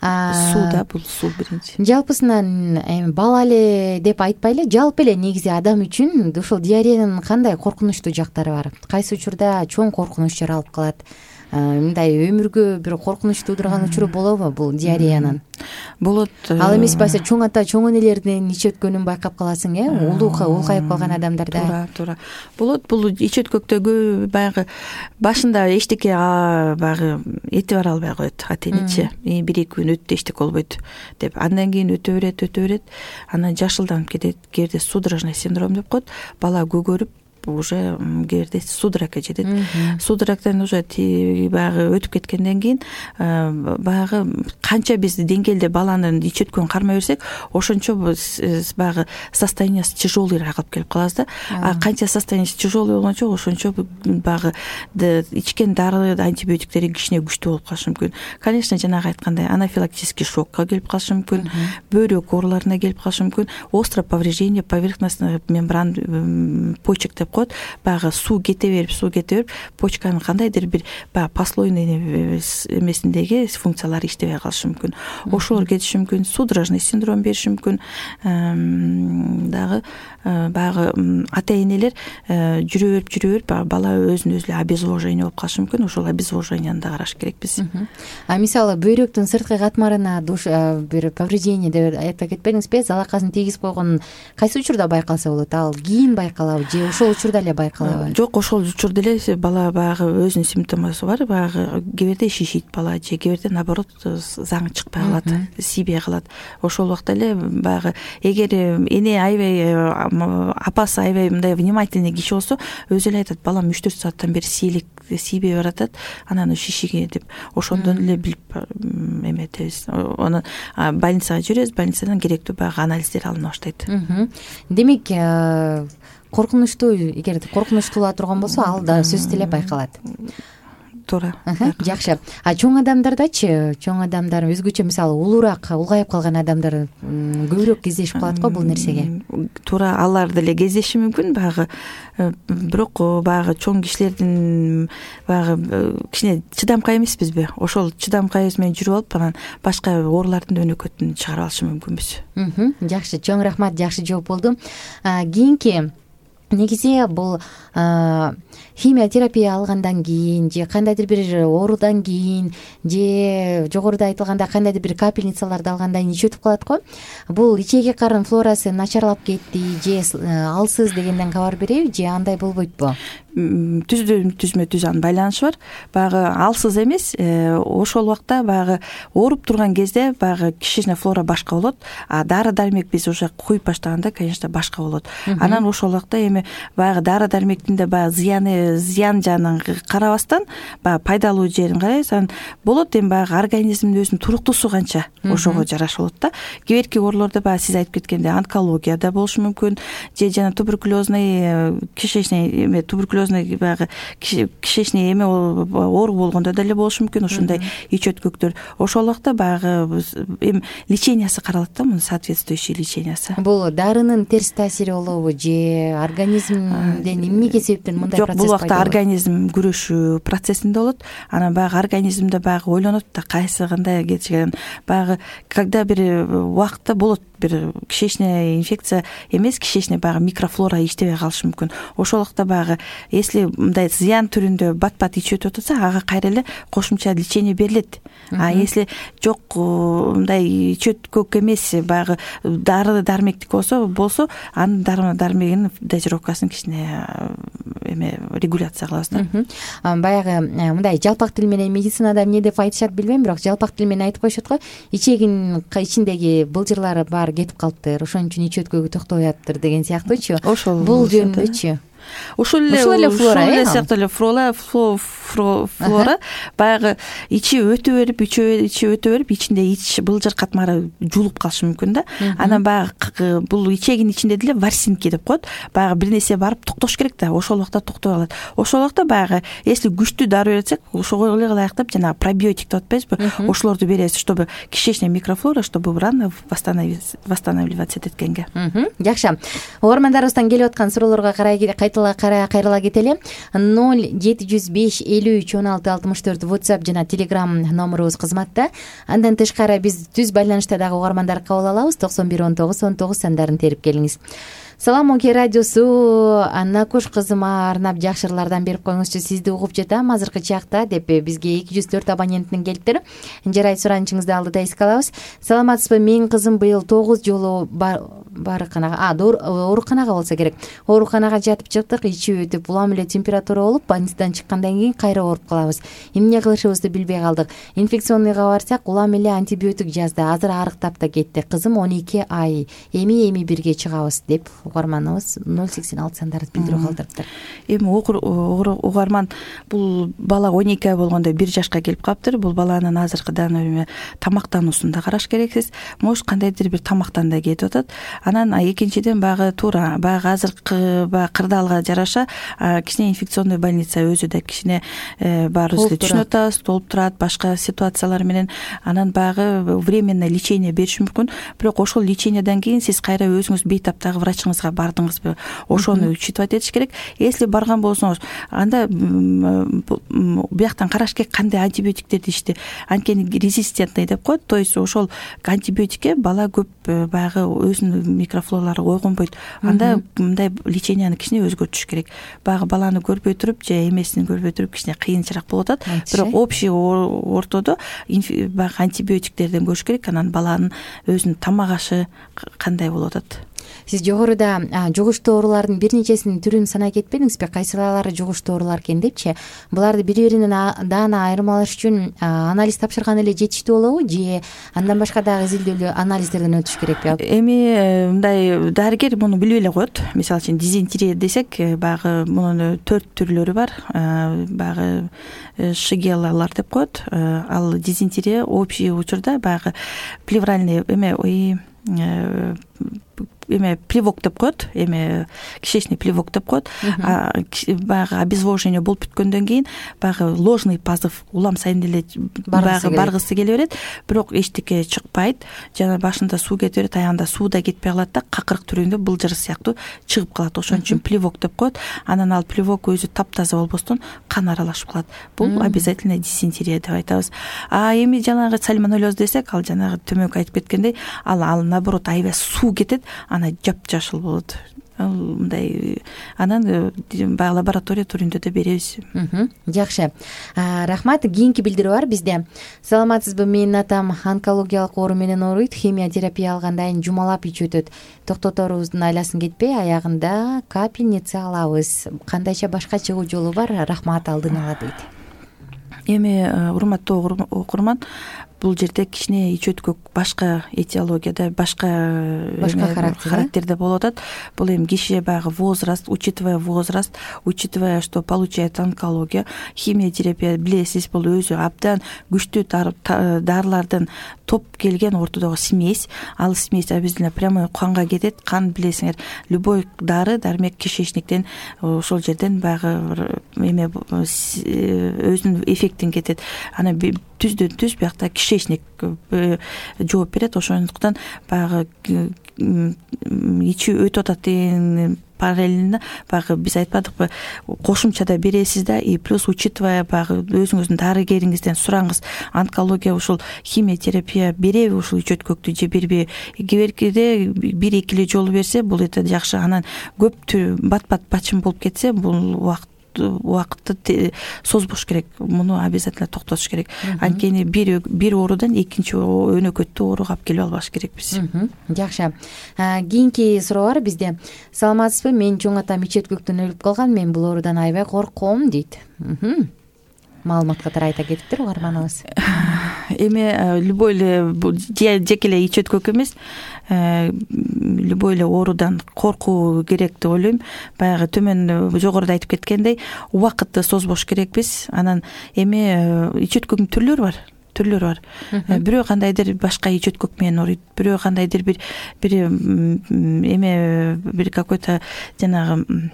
Сууда бул суу биринчи. Жалпысынан эми бала эле деп айтпайлы, жалпы эле негизи адам үчүн ушул диареянын кандай коркунучтуу жактары бар? Кайсы учурда чоң коркунучтар алып калат? Мындай өмүргө бир коркунуч туудурган учуру болобу бул диареянын? Болот. Ал эмес болсо чоң ата чоң энелердин ич өткөнүн байкап каласың, э? Улууга улгайып калган адамдарда. Туура, туура. Болот. Бул ич өткөктөгү баягы башында эчтеке баягы эти бара албай коет, ата энечи. бир эки күн өттү, эчтеке болбойт деп. Андан кийин өтө берет, өтө берет. Анан жашылданып кетет. Кээде судорожный синдром деп коет. Бала көгөрүп уже кээде судорогко жетет. Судорогдон уже баягы өтүп кеткенден кийин баягы канча биз деңгээлде баланын ич өткөнүн кармай берсек, ошончо баягы состояниясы тяжелыйраак алып келип калабыз да. А канча состояниясы тяжелый болгончо ошончо баягы ичкен дары, антибиотиктери кичине күчтүү болуп калышы мүмкүн. Конечно, жанагы айткандай анафилактический шокко келип калышы мүмкүн, бөйрөк ооруларына келип калышы мүмкүн, острое повреждение поверхностных мембран почек деп коет. Баягы суу кете берип, суу кете берип, почканын кандайдыр бир баягы послойный эмесиндеги функциялары иштебей калышы мүмкүн. Ошолор кетиши мүмкүн, судорожный синдром бериши мүмкүн. Дагы баягы ата энелер жүрө берип, жүрө берип, бала өзүн өзү эле обезвоживание болуп калышы мүмкүн. Ошол обезвоживанияны да караш керекпиз. А мисалы бөйрөктүн сырткы катмарына бир повреждение деп айтып кетпедиңизби? Залакасын тийгизип койгон кайсы учурда байкалса болот? Ал кийин байкалабы же ошол учурда эле байкалабы? Жок, ошол учурда эле бала баягы өзүнүн симптомусу бар. Баягы кээбирде шишийт бала, же кээбирде наоборот заң чыкпай калат, тийбей калат. Ошол убакта эле баягы эгер эне аябай апасы аябай мындай внимательный киши болсо, өзү эле айтат, балам үч төрт сааттан бери сийлик тийбей баратат, анан шишиген деп. Ошондон эле билип эметебиз. Аны больницага жүрөбүз, больницадан керектүү баягы анализдер алына баштайт. Демек, коркунучтуу, эгер коркунучтуу турган болсо, ал да сөзсүз эле байкалат. Туура. Жакшы. А чоң адамдардачы, чоң адамдар өзгөчө мисалы улуураак, улгайып калган адамдар көбүрөөк кездешип калат го бул нерсеге. Туура, алар деле кездеши мүмкүн, баягы бирок баягы чоң кишилердин баягы кичине чыдамкай эмеспизби? Ошол чыдамкайыбыз менен жүрүп алып, анан башка оорулардын өнөкөтүн чыгарып алышы мүмкүнбүз. Жакшы, чоң рахмат, жакшы жооп болду. Кийинки негизи бул химиотерапия алгандан кийин же кандайдыр бир оорудан кийин же жогоруда айтылганда кандайдыр бир капельницаларды алгандан кийин ич өтүп калат го. Бул ичеги карын флорасы начарлап кетти же алсыз дегенден кабар береби же андай болбойтпу? Түздү түзмө түз анын байланышы бар. Баягы алсыз эмес, ошол убакта баягы ооруп турган кезде баягы кишечная флора башка болот, а дары дармек биз уже куюп баштаганда, конечно, башка болот. Анан ошол убакта эми баягы дары дармектин да баягы зыяны, зыян жанын карабастан, баягы пайдалуу жерин карайбыз. Анан болот эми баягы организмдин өзүнүн туруктуусу канча ошого жараша болот да. Кээбирки оорулордо баягы сиз айтып кеткендей онкологияда болушу мүмкүн, же жана туберкулезный кишечный эме туберкулез баягы кишечный эме оору болгондо деле болушу мүмкүн ошондой ич өткөктөр. Ошол убакта баягы эми лечениясы каралат да, мунун соответствующий лечениясы. Бул дарынын терс таасири болобу же организмден эмнеге себептен мындай процесс пайда болот? Жок, бул убакта организм күрөшүү процессинде болот. Анан баягы организмде баягы ойлонот да, кайсы кандай кетишкен. Баягы когда бир убакытта болот бир кишечная инфекция эмес, кишечная баягы микрофлора иштебей калышы мүмкүн. Ошол убакта баягы если мындай зыян түрүндө бат бат ичип өтүп атса ага кайра эле кошумча лечение берилет. А если жок мындай ичөткөк эмес баягы дары дармектик болсо болсо анын дары дармегинин дозировкасын кичине эме регуляция кылабыз да. Баягы мындай жалпак тил менен медицинада эмне деп айтышат билбейм, бирок жалпак тил менен айтып коюшат го, ичегин ичиндеги былжырлары баары кетип калыптыр, ошон үчүн ичөткөгү токтобой атыптыр деген сыяктуучу. Бул жөнүндөчү ушул эле ушул эле сыяктуу эле флора флора баягы ичи өтө берип ичи өтө берип ичинде ич былжыр катмары жуулуп калышы мүмкүн да. Анан баягы бул ичегинин ичинде деле ворсинки деп коет, баягы бир нерсе барып токтош керек да, ошол убакта токтобой калат. Ошол убакта баягы если күчтүү дары берсек ошого эле ылайыктап жанагы пробиотик деп атпайбызбы, ошолорду беребиз, чтобы кишечная микрофлора, чтобы рано восстанавливаться эткенге. Жакшы. Угармандарыбыздан келип аткан суроолорго карай кайрыла кетели. ноль жети жүз беш элүү үч он алты алтымыш төрт WhatsApp жана Telegram номерубуз кызматта. Андан тышкары биз түз байланышта дагы угармандар кабыл алабыз. токсон бир он тогуз он тогуз сандарын терип келиңиз. Салам Оке радиосу, Аннакуш кызыма арнап жакшы ырлардан берип коюңузчу, сизди угуп жатам азыркы чакта деп бизге эки жүз төрт абоненттин келиптир. Жарайт, суранычыңызды алдыда эске алабыз. Саламатсызбы? Менин кызым быйыл тогуз жолу барыканага, а, ооруканага болсо керек. Ооруканага жатып чыктык, ичип өтүп, улам эле температура болуп, больницадан чыккандан кийин кайра ооруп калабыз. Эмне кылышыбызды билбей калдык. Инфекционныйга барсак, улам эле антибиотик жазды. Азыр арыктап да кетти. Кызым он эки ай. Эми эми бирге чыгабыз деп угарманыбыз ноль сексен алты сандарды билдирүү калтырыптыр. Эми угарман бул бала он эки ай болгондо бир жашка келип калыптыр. Бул баланын азыркыдан эме тамактануусун да караш керексиз. Может кандайдыр бир тамактан да кетип атат. Анан экинчиден баягы туура баягы азыркы баягы кырдаалга жараша кичине инфекционный больница өзү да кичине баарыбыз эле түшүнүп атабыз, толуп турат, башка ситуациялар менен. Анан баягы временный лечение бериши мүмкүн. Бирок ошол лечениеден кийин сиз кайра өзүңүз бейтаптагы врачыңызга бардыңызбы? Ошону учитывать этиш керек. Если барган болсоңуз, анда бияктан караш керек кандай антибиотиктерди ичти. Анткени резистентный деп коет. То есть ошол антибиотикке бала көп баягы өзүнүн микрофлоралары ойгонбойт. Анда мындай леченияны кичине өзгөртүш керек. Баягы баланы көрбөй туруп же эмесин көрбөй туруп кичине кыйынчыраак болуп атат. Бирок общий ортодо баягы антибиотиктерден көрүш керек. Анан баланын өзүнүн тамак ашы кандай болуп атат. Сиз жогоруда жугуштуу оорулардын бир нечесинин түрүн санай кетпедиңизби? Кайсылары жугуштуу оорулар экен депчи? Буларды бири-биринен даана айырмалаш үчүн анализ тапшырган эле жетиштүү болобу же андан башка дагы изилдөөлүү анализдерден өтүш керекпи? Эми мындай дарыгер муну билбей эле коет. Мисалы үчүн дизентерия десек, баягы мунун төрт түрлөрү бар. Баягы шигеллалар деп коет. Ал дизентерия общий учурда баягы плевральный эме эме плевок деп коет, эме кишечный плевок деп коет. Баягы обезвоживание болуп бүткөндөн кийин баягы ложный позыв улам сайын деле баягы баргысы келе берет, бирок эчтеке чыкпайт. Жана башында суу кетип берет, аягында суу да кетпей калат да, какырык түрүндө былжыр сыяктуу чыгып калат. Ошон үчүн плевок деп коет. Анан ал плевок өзү таптаза болбостон кан аралашып калат. Бул обязательно дизентерия деп айтабыз. А эми жанагы сальмонеллез десек, ал жанагы төмөнкү айтып кеткендей, ал ал наоборот аябай суу кетет, ана жап-жашыл болот. Мындай анан баягы лаборатория түрүндө да беребиз. Жакшы. Рахмат. Кийинки билдирүү бар бизде. Саламатсызбы? Менин атам онкологиялык оору менен ооруйт. Химия терапия алгандан кийин жумалап ичип өтөт. Токтоторубуздун айласын кетпей, аягында капельница алабыз. Кандайча башка чыгуу жолу бар? Рахмат, алдын ала дейт. Эми урматтуу окурман, бул жерде кичине ич өткөк башка этиологияда, башка башка характерде болуп атат. Бул эми киши баягы возраст, учитывая возраст, учитывая, что получает онкология, химия терапия билесиз, бул өзү абдан күчтүү дарылардын топ келген ортодогу смесь. Ал смесь обязательно прямой канга кетет. Кан билесиңер, любой дары дармек кишечниктен ошол жерден баягы эме өзүнүн эффектин кетет. Ана түздөн түз биякта кишечник жооп берет. Ошондуктан баягы ичи өтүп атат деген параллельно баягы биз айтпадыкпы, кошумчада бересиз да, и плюс учитывая баягы өзүңүздүн дарыгериңизден сураңыз, онкология ушул химия терапия береби ушул ич өткөктү же бербейби? Кеберкиде бир эки эле жолу берсе бул это жакшы. Анан көп бат бат бачым болуп кетсе, бул убакыт убакытты созбош керек, муну обязательно токтотуш керек. Анткени бир бир оорудан экинчи өнөкөттүү ооруга алып келип албаш керекпиз. Жакшы. Кийинки суроо бар бизде. Саламатсызбы? Мен чоң атам ич өткөктөн өлүп калган. Мен бул оорудан аябай корком дейт. Маалымат катары айта кетиптир угарманыбыз. Эми любой эле жеке эле ич өткөк эмес, любой эле оорудан коркуу керек деп ойлойм. Баягы төмөн жогоруда айтып кеткендей, убакытты созбош керекпиз. Анан эми ич өткөктүн түрлөрү бар. Түрлөрү бар. Бирөө кандайдыр башка ич өткөк менен ооруйт, бирөө кандайдыр бир бир эме бир какой-то жанагы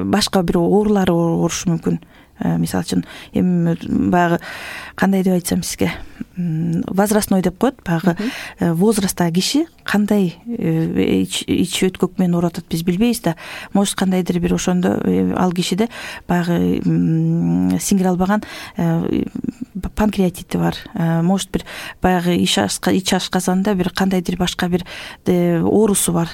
башка бир оорулар оорушу мүмкүн. Мисалы үчүн эми баягы кандай деп айтсам сизге, возрастной деп коет. Баягы возрасттагы киши кандай ич өткөк менен ооруп атат биз билбейбиз да. Может кандайдыр бир ошондо ал кишиде баягы сиңире албаган панкреатити бар. Может бир баягы ич ашказанда бир кандайдыр башка бир оорусу бар.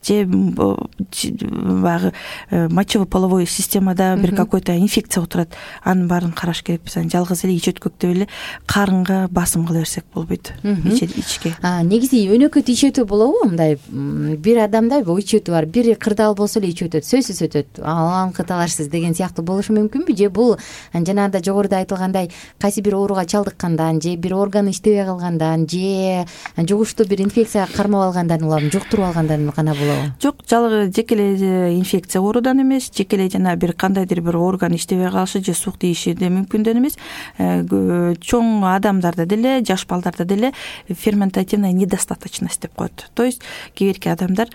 Же баягы мочево-половой системада бир какой-то инфекция отурат. Анын баарын караш керекпиз. Жалгыз эле ич өткөктө эле карынга басым кыла берсек болбойт. Ичке. Негизи өнөкөт ич өтүү болобу? Мындай бир адамда ич өтүү бар. Бири кырдаал болсо эле ич өтөт, сөзсүз өтөт. Ал кыталарсыз деген сыяктуу болушу мүмкүнбү? Же бул жанагында жогоруда айтылгандай кайсы бир ооруга чалдыккандан, же бир органы иштебей калгандан, же жугуштуу бир инфекцияга кармап алгандан улам, жуктуруп алгандан гана болобу? Жок, жалгыз жеке эле инфекция оорудан эмес, жеке эле жана бир кандайдыр бир орган иштебей калышы же сук тийиши да мүмкүндөн эмес. Чоң адамдарда деле, жаш балдарда деле ферментативная недостаточность деп коет. То есть кийинки адамдар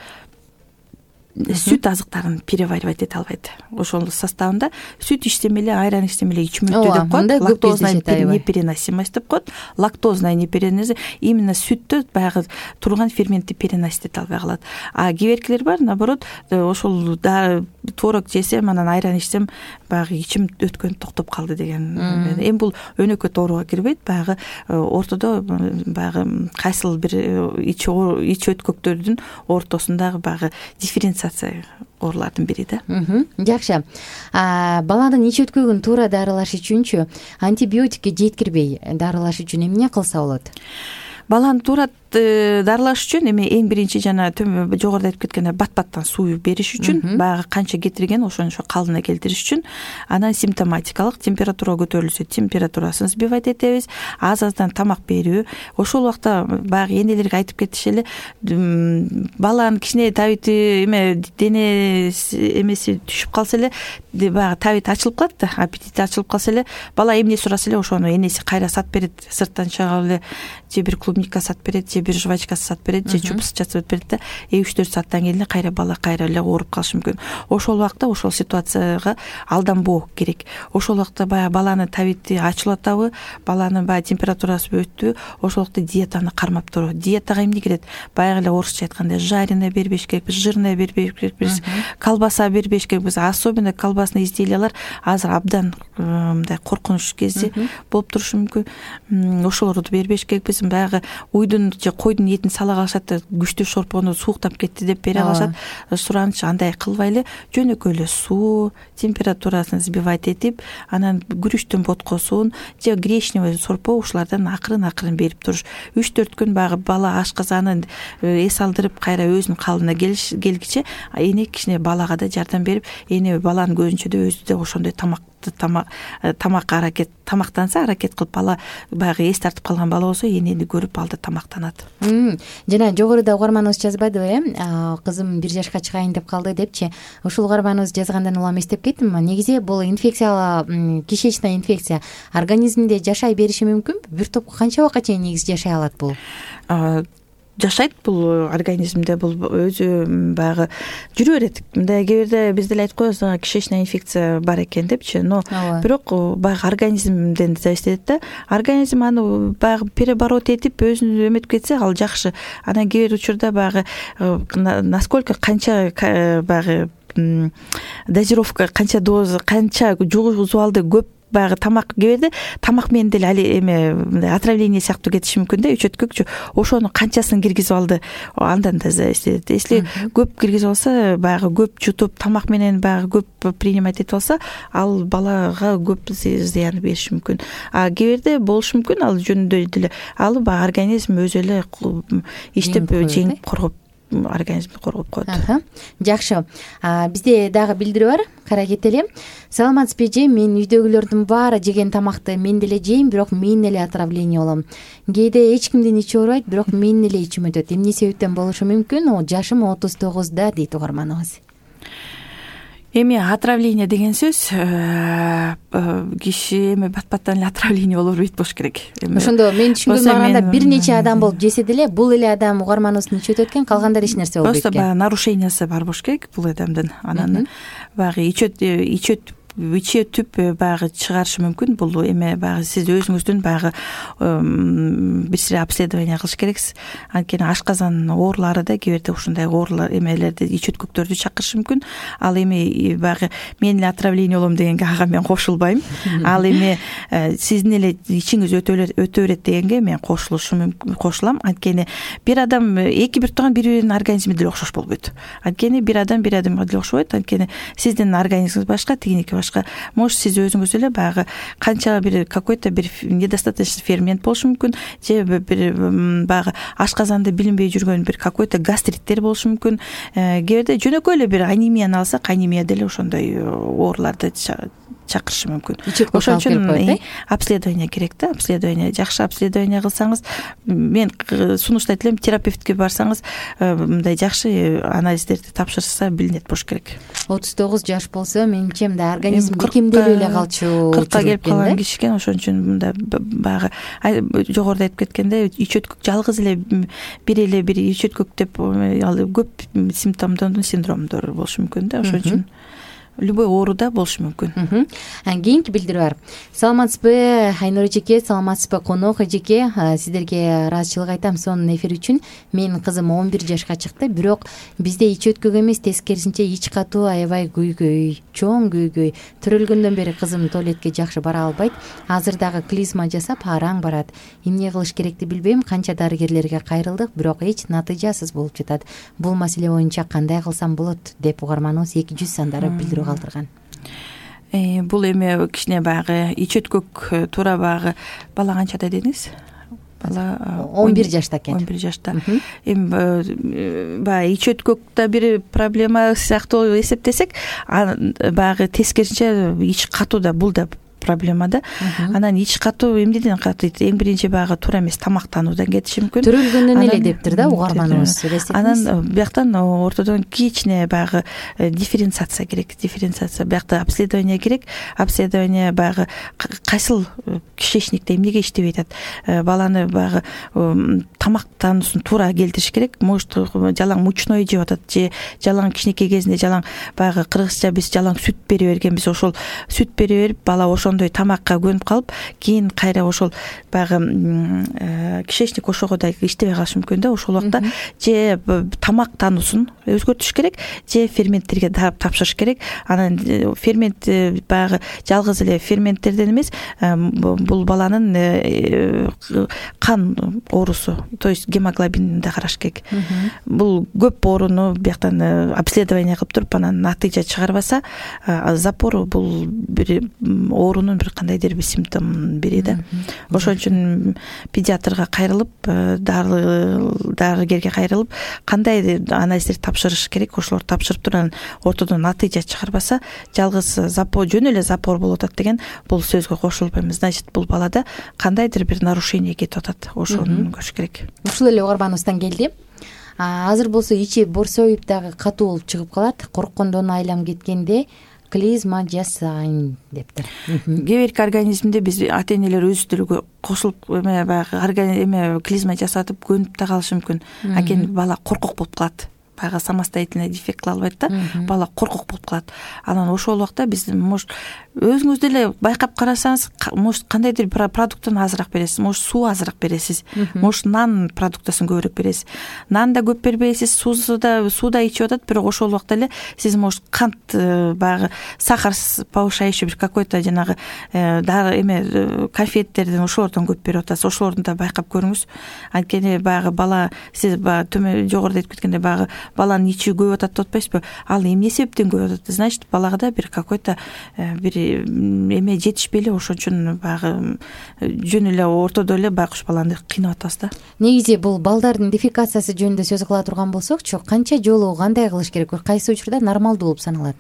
сүт азыктарын переваривать эте албайт. Ошол составында сүт ичсем эле, айран ичсем эле ичмөйт деп коет. Лактозная непереносимость деп коет. Лактозная непереносимость именно сүттө баягы турган ферментти переносить эте албай калат. А кийинкилер бар, наоборот, ошол творог жесем, анан айран ичсем, баягы ичим өткөн токтоп калды деген. Эми бул өнөкөт ооруга кирбейт. Баягы ортодо баягы кайсыл бир ич ич өткөктөрдүн ортосундагы баягы дифференциация оорулардын бири да. Жакшы. Баланын ич өткөгүн туура дарылаш үчүнчү антибиотикке жеткирбей дарылаш үчүн эмне кылса болот? Баланы туура дарылаш үчүн эми эң биринчи жана жогоруда айтып кеткендей бат-баттан суу бериш үчүн, баягы канча кетирген ошончо калдына келтириш үчүн, анан симптоматикалык температура көтөрүлсө температурасын сбивать этебиз, аз-аздан тамак берүү. Ошол убакта баягы энелерге айтып кетиш эле, баланын кичине табити эме дене эмеси түшүп калса эле, баягы табити ачылып калат да, аппетити ачылып калса эле, бала эмне сураса эле ошону энеси кайра сатып берет, сырттан чыгып эле же бир клубника сатып берет, же бир жвачка сатып берет, же чупс жасап берет да, үч төрт сааттан кийин эле кайра бала кайра эле ооруп калышы мүмкүн. Ошол убакта ошол ситуацияга алданбоо керек. Ошол убакта баягы баланын табити ачылып атабы, баланын баягы температурасы өттү, ошол убакта диетаны кармап туруу. Диетага эмне кирет? Баягы эле орусча айтканда жареное бербеш керекпиз, жирное бербеш керекпиз, колбаса бербеш керекпиз. Особенно колбасный изделиялар азыр абдан мындай коркунуч кезде болуп турушу мүмкүн. Ошолорду бербеш керекпиз. Баягы уйдун же койдун этин сала калышат да, күчтүү шорпону сууктап кетти деп бере калышат. Сураныч андай кылбай эле жөнөкөй эле суу, температурасын сбивать этип, анан күрүчтүн боткосун же гречневый сорпо ушулардан акырын-акырын берип туруш. үч төрт күн баягы бала ашказанын эс алдырып кайра өзүнүн калдына келгиче эне кичине балага да жардам берип, эне баланын көзүнчө да өзү да ошондой тамак тамак тамак аракет тамактанса аракет кылып, бала баягы эс тартып калган бала болсо энени көрүп алды тамактанат. Жана жогоруда угарманыбыз жазбадыбы, э? Кызым бир жашка чыгайын деп калды депчи. Ушул угарманыбыз жазгандан улам эстеп кеттим. Негизи бул инфекция, кишечная инфекция организмде жашай бериши мүмкүнбү? Бир топ канча убакка чейин негизи жашай алат бул? Жашайт бул организмде, бул өзү баягы жүрө берет. Мындай кээ бирде биз деле айтып коебуз, кишечная инфекция бар экен депчи, но бирок баягы организмден зависит этет да. Организм аны баягы переоборот этип өзүн эметип кетсе ал жакшы. Анан кээ бир учурда баягы насколько канча баягы дозировка, канча доза, канча жугузуп алды көп баягы тамак кээ бирде тамак менен деле али эме мындай отравление сыяктуу кетиши мүмкүн да, үчөткөкчү. Ошону канчасын киргизип алды, андан да эследет. Если көп киргизип алса, баягы көп жутуп, тамак менен баягы көп принимать этип алса, ал балага көп зыян бериши мүмкүн. А кээ бирде болушу мүмкүн, ал жөнүндө деле ал баягы организм өзү эле иштеп жеңип коргоп организмди коргоп коет. Жакшы. Бизде дагы билдирүү бар. Кара кетели. Саламатсызбы эже, мен үйдөгүлөрдүн баары жеген тамакты мен деле жейм, бирок мен эле отравление болом. Кээде эч кимдин ичи оорубайт, бирок мен эле ичим өтөт. Эмне себептен болушу мүмкүн? Жашым отуз тогузда дейт угарманыбыз. Эми отравление деген сөз киши эми бат-баттан эле отравление боло бербейт болуш керек. Ошондо мен түшүнгөнүмө караганда бир нече адам болуп жесе деле бул эле адам угарманыбыздын ичи өтөт экен, калгандары эч нерсе болбойт экен. Просто баягы нарушениясы бар болуш керек бул адамдын. Анан баягы ичи ичи ичи өтүп баягы чыгарышы мүмкүн. Бул эме баягы сиз өзүңүздүн баягы бир сире обследование кылыш керексиз. Анткени ашказан оорулары да кээ бирде ушундай оорулар эмелерди, ичи өткөктөрдү чакырышы мүмкүн. Ал эми баягы мен эле отравление болом дегенге ага мен кошулбайм. Ал эми сиздин эле ичиңиз өтө берет дегенге мен кошулушум кошулам. Анткени бир адам эки бир тууган бири-биринин организми деле окшош болбойт. Анткени бир адам бир адамга деле окшобойт. Анткени сиздин организмиңиз башка, тигиники башка. Может, сиз өзүңүз эле баягы канча бир какой-то бир недостаточный фермент болушу мүмкүн, же бир баягы ашказанды билинбей жүргөн бир какой-то гастриттер болушу мүмкүн. Кээ бирде жөнөкөй эле бир анемияны алсак, анемия деле ошондой ооруларды чакырышы мүмкүн. Ошон үчүн обследование керек да, обследование. Жакшы обследование кылсаңыз, мен сунуштайт элем, терапевтке барсаңыз, мындай жакшы анализдерди тапшырса билинет болуш керек. отуз тогуз жаш болсо, менимче мындай организм бекемделип эле калчу. кыркка келип калган киши экен, ошон үчүн мындай баягы жогоруда айтып кеткендей, ичи өткөк жалгыз эле бир эле бир ичи өткөк деп ал көп симптомдордун синдромдору болушу мүмкүн да, ошон үчүн любой ооруда болушу мүмкүн. Кийинки билдирүү бар. Саламатсызбы Айнура эжеке, саламатсызбы конок эжеке. Сиздерге ыраазычылык айтам сонун эфир үчүн. Менин кызым он бир жашка чыкты, бирок бизде ичи өткөк эмес, тескерисинче ич катуу, аябай күйгөй, чоң күйгөй. Төрөлгөндөн бери кызым туалетке жакшы бара албайт. Азыр дагы клизма жасап араң барат. Эмне кылыш керекти билбейм. Канча дарыгерлерге кайрылдык, бирок эч натыйжасыз болуп жатат. Бул маселе боюнча кандай кылсам болот деп угарманыбыз эки жүз сандары билдирүү калтырган. Бул эми кичине баягы ичи өткөк туура баягы бала канчада дедиңиз? Бала он бир жашта экен. он бир жашта. Эми баягы ичи өткөктө бир проблема сыяктуу эсептесек, баягы тескерисинче ич катуу да, бул да проблема да. Анан ич катуу эмнеден катыйт? Эң биринчи баягы туура эмес тамактануудан кетиши мүмкүн. Төрөлгөндөн эле дептир да угарманыбыз. Анан бияктан ортодон кичине баягы дифференциация керек. Дифференциация биякта обследование керек. Обследование баягы кайсыл кишечникте эмнеге иштебей атат? Баланы баягы тамактануусун туура келтириш керек. Может, жалаң мучной жеп атат же жалаң кичинекей кезинде жалаң баягы кыргызча биз жалаң сүт бере бергенбиз. Ошол сүт бере берип бала ошондой тамакка көнүп калып, кийин кайра ошол баягы кишечник ошого да иштебей калышы мүмкүн да. Ошол убакта же тамактануусун өзгөртүш керек, же ферменттерге тапшырыш керек. Анан фермент баягы жалгыз эле ферменттерден эмес, бул баланын кан оорусу, то есть гемоглобинин да караш керек. Бул көп ооруну бияктан обследование кылып туруп, анан натыйжа чыгарбаса, запор бул бир оорунун бир кандайдыр бир симптомун берет да. Ошон үчүн педиатрга кайрылып, дарыгерге кайрылып, кандай анализдерди тапшырыш керек, ошолорду тапшырып туруп, анан ортодон натыйжа чыгарбаса, жалгыз запор, жөн эле запор болуп атат деген бул сөзгө кошулбайм. Значит, бул балада кандайдыр бир нарушение кетип атат. Ошону көрүш керек. Ушул эле угарманыбыздан келди. Азыр болсо ичи борсоюп дагы катуу болуп чыгып калат. Корккондон айлам кеткенде клизма жасайм дептир. Кээ бирки организмде биз ата-энелер өзү деле кошулуп эме баягы эме клизма жасатып көнүп да калышы мүмкүн. Анткени бала коркок болуп калат. баягы самостоятельный дефект кыла албайт да, бала коркок болуп калат. Анан ошол убакта биз может өзүңүз деле байкап карасаңыз, может кандайдыр бир продуктун азыраак бересиз, может суу азыраак бересиз, может нан продуктасын көбүрөөк бересиз. Нан да көп бербейсиз, суусу да суу да ичип атат, бирок ошол убакта эле сиз может кант баягы сахар повышающий бир какой-то жанагы дары эме конфеттерден ошолордон көп берип атасыз. Ошолорду да байкап көрүңүз. Анткени баягы бала сиз баягы төмөн жогоруда айтып кеткендей баягы баланын ичи көбөйүп атат деп атпайсызбы? Ал эмне себептен көбөйүп атат? Значит, балага да бир какой-то бир эме жетишпей эле, ошон үчүн баягы жөн эле ортодо эле байкуш баланы кыйнап атабыз да. Негизи бул балдардын дефекациясы жөнүндө сөз кыла турган болсокчу, канча жолу кандай кылыш керек? Кайсы учурда нормалдуу болуп саналат?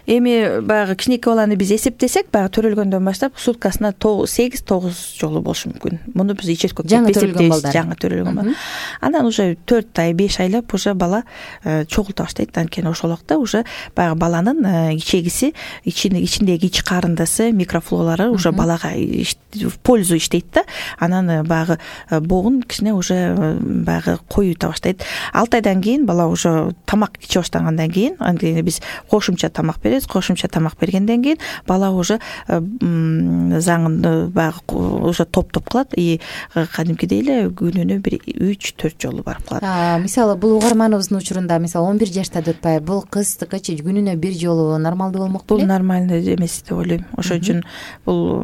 Эми баягы кичинекей баланы биз эсептесек, баягы төрөлгөндөн баштап суткасына сегиз тогуз жолу болушу мүмкүн. Муну биз ичеткө жаңы төрөлгөн балдар. Жаңы төрөлгөн бала. Анан уже төрт ай, беш айлап уже бала чогулта баштайт. Анткени ошол убакта уже баягы баланын ичегиси, ичиндеги ич карындысы, микрофлоралары уже балага в пользу иштейт да. Анан баягы богун кичине уже баягы коюута баштайт. алты айдан кийин бала уже тамак иче баштагандан кийин, анткени биз кошумча тамак беребиз. Кошумча тамак бергенден кийин бала уже заңын баягы уже топ-топ кылат и кадимкидей эле күнүнө бир үч төрт жолу барып калат. Мисалы бул угарманыбыздын учурунда мисалы он бир жашта деп атпайбы, бул кыздыкычы күнүнө бир жолу нормалдуу болмок беле? Бул нормальный эмес деп ойлойм. Ошон үчүн бул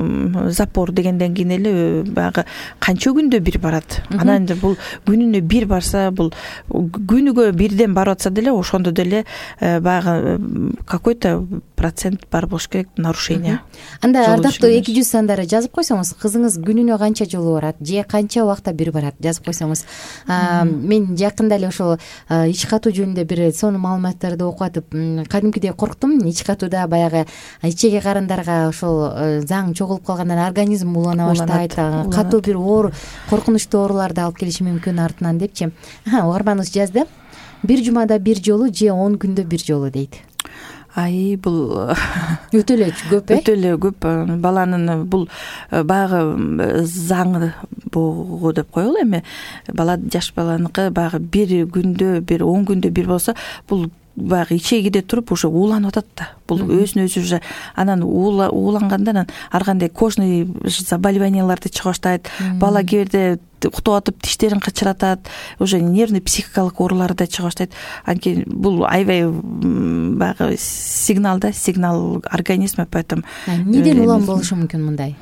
запор дегенден кийин эле баягы канча күндө бир барат. Анан бул күнүнө бир барса, бул күнүгө бирден барып атса деле ошондо деле баягы какой-то процент бар болуш керек нарушение. Анда ардактуу эки жүз сандары жазып койсоңуз, кызыңыз күнүнө канча жолу барат же канча убакта бир барат жазып койсоңуз. Мен жакында эле ошол ич катуу жөнүндө бир сонун маалыматтарды окуп атып, кадимкидей корктум. Ич катууда баягы ичеги карындарга ошол заң чогулуп калгандан организм улана баштайт, катуу бир оор коркунучтуу ооруларды алып келиши мүмкүн артынан депчи. Угарманыбыз жазды. Бир жумада бир жолу же он күндө бир жолу дейт. Ай, бул өтө эле көп, э? Өтө эле көп. Баланын бул баягы заңы богу деп коелу. Эми бала, жаш баланыкы баягы бир күндө, бир он күндө бир болсо, бул баягы ичегиде туруп уже ууланып атат да. Бул өзүнө өзү уже анан ууланганда анан ар кандай кожный заболеванияларды чыга баштайт. Бала кээ бирде уктап атып тиштерин кычыратат, уже нервный психикалык оорулар да чыга баштайт. Анткени бул аябай баягы сигнал да, сигнал организма, поэтому неден улам болушу мүмкүн мындай?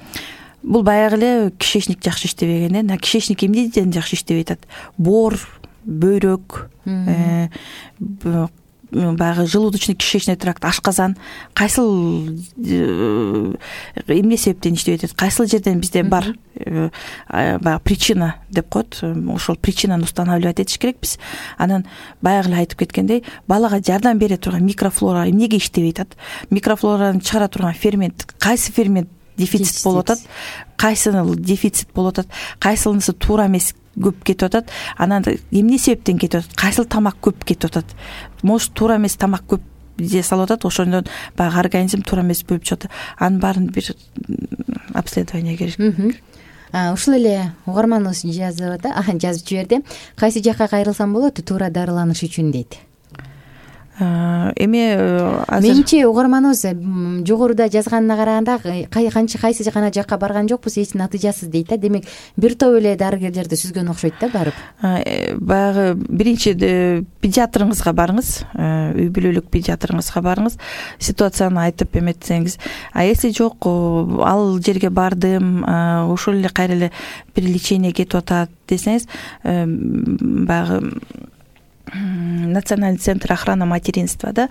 Бул баягы эле кишечник жакшы иштебегенден, а кишечник эмнеден жакшы иштебей атат? Боор, бөйрөк, баягы желудочный кишечный тракт, ашказан кайсыл эмне себептен иштебей атат? Кайсыл жерден бизде бар баягы причина деп коет. Ошол причинаны устанавливать этиш керекпиз. Анан баягы эле айтып кеткендей, балага жардам бере турган микрофлора эмнеге иштебей атат? Микрофлораны чыгара турган фермент, кайсы фермент дефицит болуп атат, кайсынын дефицит болуп атат, кайсынысы туура эмес көп кетип атат, анан эмне себептен кетип атат, кайсыл тамак көп кетип атат, может туура эмес тамак көп же салып атат, ошондон баягы организм туура эмес бөлүп чыгып атат. Анын баарын бир обследование керек. Ушул эле угарманыбыз жазып атат, жазып жиберди. Кайсы жакка кайрылсам болот туура дарыланыш үчүн дейт. Эми азыр менимче угарманыбыз жогоруда жазганына караганда канча кайсы гана жакка барган жокпуз, эч натыйжасыз дейт да. Демек бир топ эле дарыгерлерди сүзгөн окшойт да барып. Баягы биринчи педиатрыңызга барыңыз, үй бүлөлүк педиатрыңызга барыңыз, ситуацияны айтып эметсеңиз. А если жок, ал жерге бардым, ошол эле кайра эле бир лечение кетип атат десеңиз, баягы Национальный центр охраны материнства, да,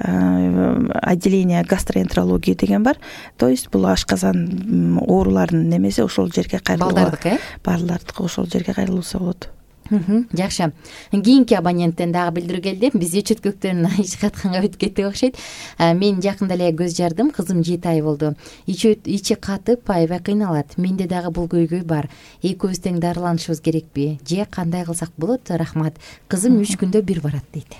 отделение гастроэнтерологии деген бар. То есть бул ашказан ооруларынын немеси ошол жерге кайрылуу. Балдардыкы, э? Балдардыкы ошол жерге кайрылса болот. Жакшы. Кийинки абоненттен дагы билдирүү келди. Биз чөткөктөн ич катканга өтүп кеттик окшойт. Мен жакында эле көз жардым, кызым жети ай болду. Ичи катып, аябай кыйналат. Менде дагы бул көйгөй бар. Экөөбүз тең дарыланышыбыз керекпи? Же кандай кылсак болот? Рахмат. Кызым үч күндө бир барат дейт.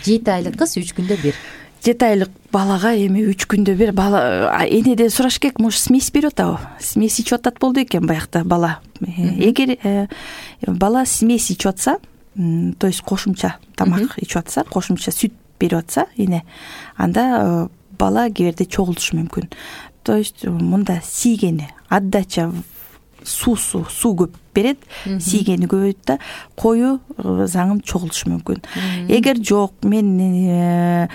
жети айлык кыз үч күндө бир. жети айлык балага эми үч күндө бир бала энеден сураш керек, может смесь берип атабы? Смесь ичип атат болду экен баягыда бала. Эгер бала смесь ичип атса, то есть кошумча тамак ичип атса, кошумча сүт берип атса эне, анда бала кээ бирде чогултушу мүмкүн. То есть мында сийгени отдача суусу суу көп берет, сийгени көбөйт да кою заңын чогултушу мүмкүн. Эгер жок, мен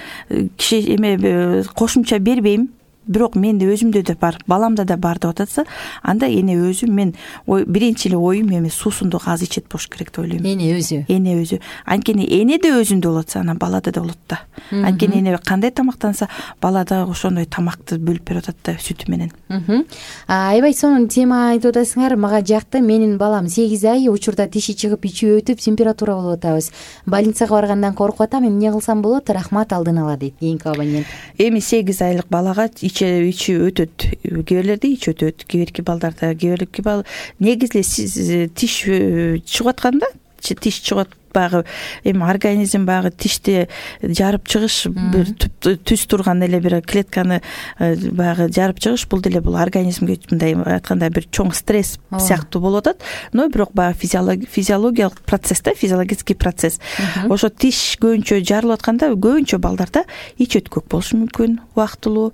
киши эме кошумча бербейм, бирок менде өзүмдө да бар, баламда да бар деп атса, анда эне өзү мен биринчи эле оюм эми суусунду аз ичет болуш керек деп ойлойм. Эне өзү. Эне өзү. Анткени эне да өзүндө болот, анан балада да болот да. Анткени эне кандай тамактанса, бала да ошондой тамакты бөлүп берип атат да сүтү менен. Аябай сонун тема айтып атасыңар. Мага жакты. Менин балам сегиз ай, учурда тиши чыгып, ичи өтүп, температура болуп атабыз. Больницага баргандан коркуп атам. Эмне кылсам болот? Рахмат алдын ала дейт кийинки абонент. Эми сегиз айлык балага ичи өтөт. Кээ бирлерде ичи өтөт, кээ бирки балдарда, кээ бирки бал негизи сиз тиш чыгып атканда, тиш чыгып баягы эми организм баягы тишти жарып чыгыш, бир түз турган эле бир клетканы баягы жарып чыгыш, бул деле бул организмге мындай айтканда бир чоң стресс сыяктуу болуп атат. Но бирок баягы физиологиялык процесс да, физиологический процесс. Ошо тиш көбүнчө жарылып атканда көбүнчө балдарда ич өткөк болушу мүмкүн, убактылуу,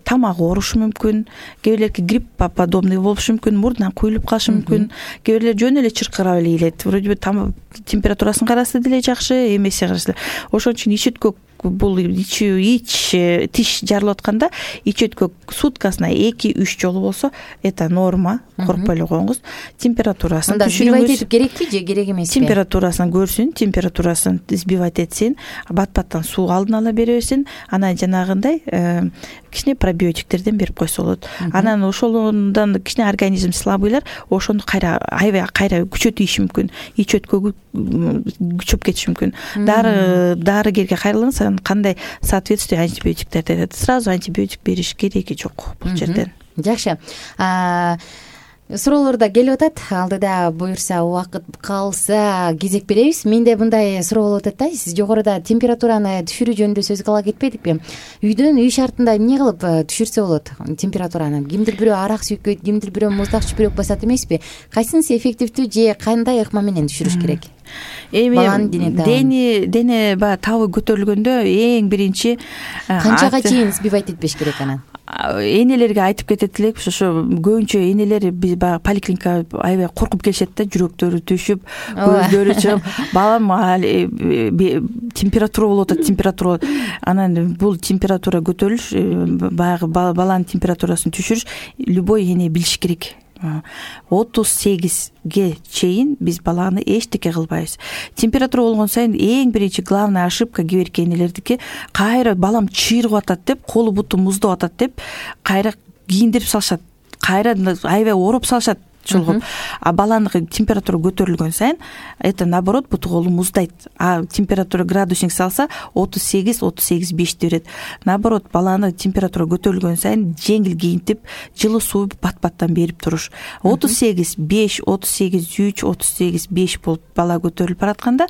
тамагы оорушу мүмкүн, кээ бирлерки грипп подобный болушу мүмкүн, мурдунан куюлуп калышы мүмкүн, кээ бирлер жөн эле чыркырап эле ийилет. Вроде бы температурасын караса деле жакшы, эмеси караса. Ошон үчүн ич өткөк бул ич ич тиш жарылып атканда ич өткөк суткасына эки үч жолу болсо это норма, коркпой эле коюңуз. Температурасын түшүрүңүз. Сбивать этип керекпи же керек эмеспи? Температурасын көрсүн, температурасын сбивать этсин, бат-баттан суу алдын ала бере берсин, анан жанагындай кичине пробиотиктерден берип койсо болот. Анан ошолордон кичине организм слабыйлар ошону кайра аябай кайра күчөтүшү мүмкүн, ич өткөгү күчөп кетиши мүмкүн. Дары дарыгерге кайрылыңыз, кандай соответствие антибиотиктерди берет. Сразу антибиотик бериш кереги жок бул жерден. Жакшы. Суроолор да келип атат. Алдыда буюрса, убакыт калса кезек беребиз. Менде мындай суроо болуп атат да. Сиз жогоруда температураны түшүрүү жөнүндө сөз кыла кетпедикпи? Үйдөн үй шартында эмне кылып түшүрсө болот температураны? Кимдир бирөө арак сүйкөйт, кимдир бирөө муздак чүпүрөк басат эмеспи? Кайсынысы эффективдүү же кандай ыкма менен түшүрүш керек? Эми дене дене баягы табы көтөрүлгөндө эң биринчи канчага чейин сбивать этпеш керек анан? Энелерге айтып кетет элекпиз, ошо көбүнчө энелер биз баягы поликлиникага аябай коркуп келишет да, жүрөктөрү түшүп, көздөрү чыгып, балам температура болуп атат, температура. Анан бул температура көтөрүлүш, баягы баланын температурасын түшүрүш любой эне билиш керек. отуз сегизге чейин биз баланы эчтеке кылбайбыз. Температура болгон сайын эң биринчи главная ошибка кээ бирки энелердики, кайра балам чыйрыгып атат деп, колу буту муздап атат деп, кайра кийиндирип салышат, кайра аябай ооруп салышат. чулгуп. А баланыкы температура көтөрүлгөн сайын это наоборот буту колу муздайт. А температура градусник салса отуз сегиз отуз сегиз бешти берет. Наоборот баланы температура көтөрүлгөн сайын жеңил кийинтип, жылы суу бат-баттан берип туруш. отуз сегиз беш, отуз сегиз үч, отуз сегиз беш болуп бала көтөрүлүп баратканда,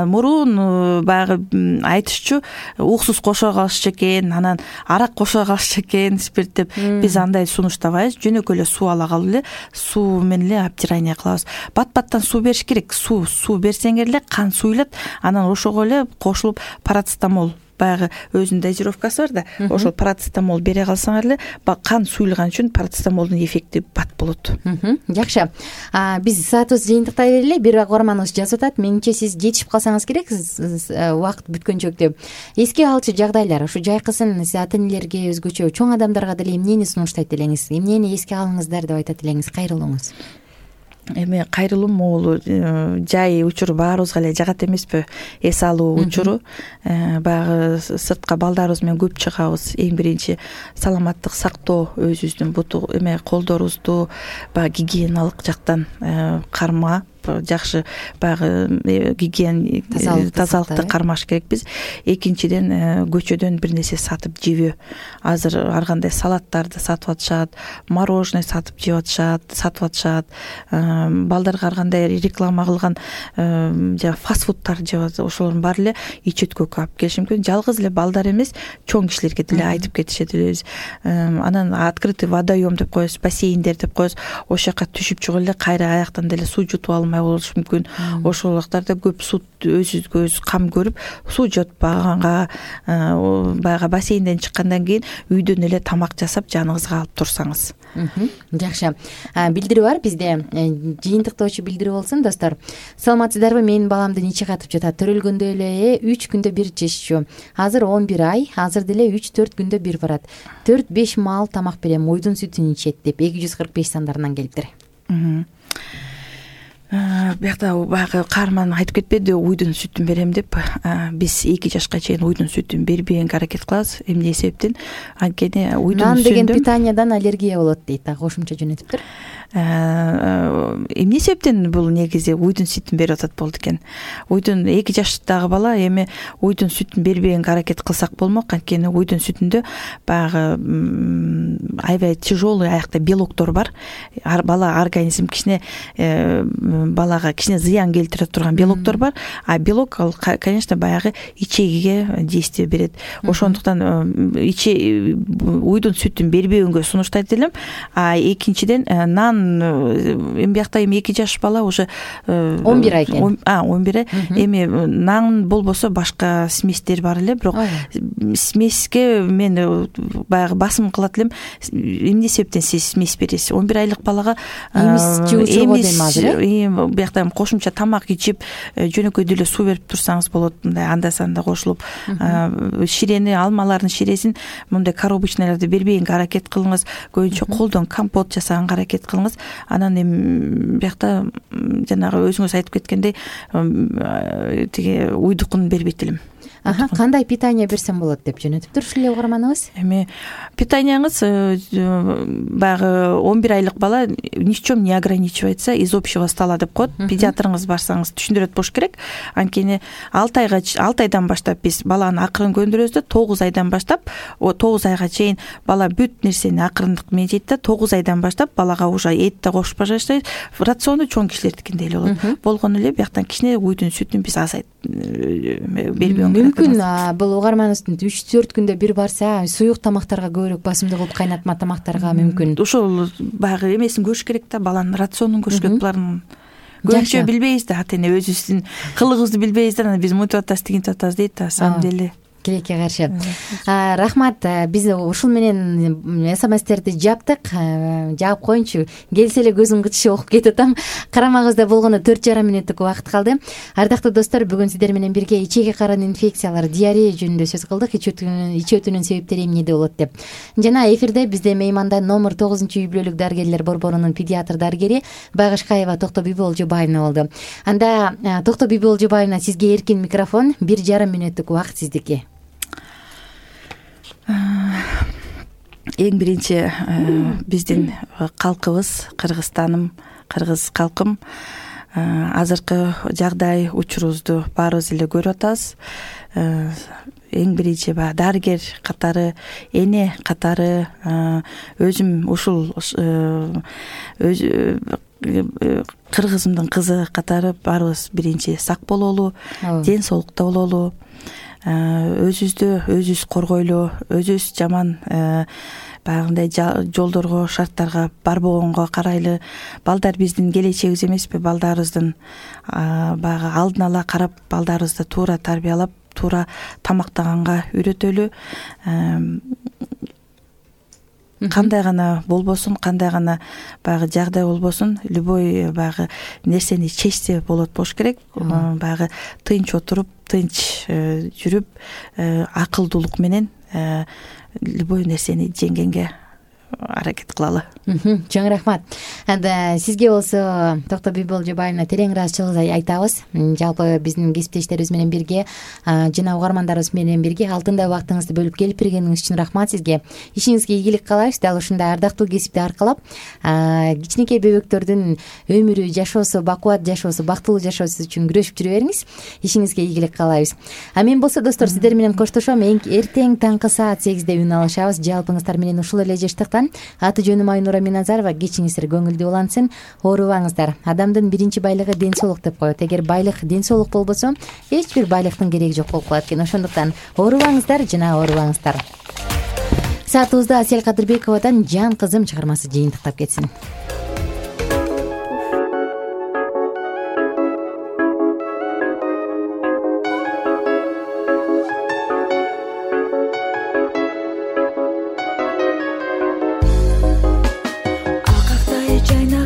мурун баягы айтышчу уксус кошо калышчу экен, анан арак кошо калышчу экен, спирт деп. Биз андай сунуштабайбыз. Жөнөкөй эле суу ала калып эле суу менен эле обтирание кылабыз. Бат-баттан суу бериш керек. Суу, суу берсеңер эле кан суюлат, анан ошого эле кошулуп парацетамол, баягы өзүнүн дозировкасы бар да, ошол парацетамол бере калсаңар эле кан суюлган үчүн парацетамолдун эффекти бат болот. Жакшы. Биз саатыбызды жыйынтыктай берели. Бир угарманыбыз жазып атат. Менимче сиз жетишип калсаңыз керек, убакыт бүткөнчөк деп. Эске алчу жагдайлар, ушу жайкысын ата энелерге өзгөчө, чоң адамдарга деле эмнени сунуштайт элеңиз? Эмнени эске алыңыздар деп айтат элеңиз? Кайрылуңуз. Эми кайрылуу могулу жай учуру баарыбызга эле жагат эмеспи? Эс алуу учуру. Баягы сыртка балдарыбыз менен көп чыгабыз. Эң биринчи саламаттык сактоо, өзүбүздүн буту эме колдорубузду баягы гигиеналык жактан карма, жакшы баягы гигиен тазалыкты кармаш керекпиз. Экинчиден көчөдөн бир нерсе сатып жебөө. Азыр ар кандай салаттарды сатып атышат, мороженое сатып жеп атышат, сатып атышат. Балдарга ар кандай реклама кылган жана фастфудтар жеп атышат. Ошолордун баары эле ич өткөккө алып келиши мүмкүн. Жалгыз эле балдар эмес, чоң кишилерге деле айтып кетишет элебиз. Анан открытый водоем деп коебуз, бассейндер деп коебуз. Ошол жака түшүп чыгып эле кайра аяктан деле суу жутуп алып албай болушу мүмкүн. Ошол убактарда көп суу өзүбүзгө өзү кам көрүп, суу жотпаганга, баягы бассейнден чыккандан кийин үйдөн эле тамак жасап жаныңызга алып турсаңыз. Жакшы. Билдирүү бар бизде. Жыйынтыктоочу билдирүү болсун, достор. Саламатсыздарбы? Менин баламды нече катып жатат. Төрөлгөндө эле үч күндө бир чеччү. Азыр он бир ай, азыр деле үч төрт күндө бир барат. төрт беш маал тамак берем, уйдун сүтүн ичет деп эки жүз кырк беш сандарынан келиптир. Биякта баягы каарман айтып кетпеди, уйдун сүтүн берем деп. Биз эки жашка чейин уйдун сүтүн бербегенге аракет кылабыз. Эмне себептен? Анткени уйдун сүтүн нан деген питаниядан аллергия болот дейт, кошумча жөнөтүптүр. Эмне себептен бул негизи уйдун сүтүн берип атат болду экен. Уйдун эки жаштагы бала эми уйдун сүтүн бербегенге аракет кылсак болмок, анткени уйдун сүтүндө баягы аябай тяжелый аякта белоктор бар. Бала организм кичине балага кичине зыян келтире турган белоктор бар. А белок ал, конечно, баягы ичегиге действие берет. Ошондуктан иче уйдун сүтүн бербегенге сунуштайт элем. А экинчиден нан эми биякта эми эки жаш бала уже он бир ай экен. А, он бир ай. Эми нан болбосо башка сместер бар эле, бирок смеске мен баягы басым кылат элем. Эмне себептен сиз смесь бересиз? он бир айлык балага эмис жуучуга дейм азыр. Биякта кошумча тамак ичип, жөнөкөй деле суу берип турсаңыз болот. Мындай анда санда кошулуп, ширени, алмалардын ширесин мындай коробочныйларды бербегенге аракет кылыңыз. Көбүнчө колдон компот жасаганга аракет кылыңыз. Анан эми биякта жанагы өзүңүз айтып кеткендей тиги уйдукун бербейт элем. Аха, кандай питание берсем болот деп жөнөтүптүр ушул эле угарманыңыз? Эми питанияңыз баягы он бир айлык бала ни в чем не ограничивается из общего стола деп коет. Педиатрыңыз барсаңыз түшүндүрөт болуш керек. Анткени алты айга алты айдан баштап биз баланы акырын көндүрөбүз да, тогуз айдан баштап тогуз айга чейин бала бүт нерсени акырындык менен жейт да, тогуз айдан баштап балага уже эт да кошуп баштайт. Рациону чоң кишилердикиндей эле болот. Болгону эле бияктан кичине уйдун сүтүн биз азайт бербегенге мүмкүн. Бул угарманыбыздын үч төрт күндө бир барса, суюк тамактарга көбүрөөк басымдуу кылып кайнатма тамактарга мүмкүн. Ошол баягы эмесин көрүш керек да, баланын рационун көрүш керек. Булардын көбүнчө билбейбиз да, ата эне өзүбүздүн кылыгыбызды билбейбиз да, биз мынтип атабыз, тигинтип атабыз дейт да, на самом деле. Тилекке каршы. Рахмат. Биз ушул менен смстерди жаптык. Жаап коеюнчу. Келсе эле көзүм кытышып окуп кетип атам. Карамагыбызда болгону төрт жарым мүнөттүк убакыт калды. Ардактуу достор, бүгүн сиздер менен бирге ичеги карын инфекциялар, диарея жөнүндө сөз кылдык. Ичи өтүүнүн себептери эмнеде болот деп. Жана эфирде бизде мейманда номер тогузунчу үй бүлөлүк дарыгерлер борборунун педиатр дарыгери Байгышкаева Токтобүбү Олжобаевна болду. Анда Токтобүбү Олжобаевна, сизге эркин микрофон, бир жарым мүнөттүк убакыт сиздики. Эң биринчи биздин калкыбыз, Кыргызстаным, кыргыз калкым азыркы жагдай, учурубузду баарыбыз эле көрүп атабыз. Эң биринчи баягы дарыгер катары, эне катары өзүм ушул кыргызымдын кызы катары баарыбыз биринчи сак бололу, ден соолукта бололу. Өзүбүздү өзүбүз коргойлу, өзүбүз жаман баягындай жолдорго, шарттарга барбогонго карайлы. Балдар биздин келечегибиз эмеспи? Балдарыбыздын баягы алдын ала карап, балдарыбызды туура тарбиялап, туура тамактаганга үйрөтөлү. Кандай гана болбосун, кандай гана баягы жагдай болбосун, любой баягы нерсени чечсе болот болуш керек. Баягы тынч отуруп, тынч жүрүп, акылдуулук менен любой нерсени жеңгенге аракет кылалы. Чоң рахмат. Анда сизге болсо Токтобүбү Олжобаевна терең ыраазычылык айтабыз. Жалпы биздин кесиптештерибиз менен бирге жана угармандарыбыз менен бирге алтындай убактыңызды бөлүп келип бергениңиз үчүн рахмат сизге. Ишиңизге ийгилик каалайбыз. Дал ушундай ардактуу кесипти аркалап кичинекей бөбөктөрдүн өмүрү, жашоосу, бакубат жашоосу, бактылуу жашоосу үчүн күрөшүп жүрө бериңиз. Ишиңизге ийгилик каалайбыз. А мен болсо достор, сиздер менен коштошом. Эртең таңкы саат сегизде үн алышабыз. Жалпыңыздар менен ушул эле жаштыктан. Аты жөнүм Айнура Миназарова. Кечиңиздер көңүлдүү улансын, оорубаңыздар. Адамдын биринчи байлыгы ден соолук деп коет. Эгер байлык, ден соолук болбосо, эч бир байлыктын кереги жок болуп калат экен. Ошондуктан оорубаңыздар жана оорубаңыздар. Саатыбызда Асель Кадырбековадан Жан кызым чыгармасы жыйынтыктап кетсин. жайнаган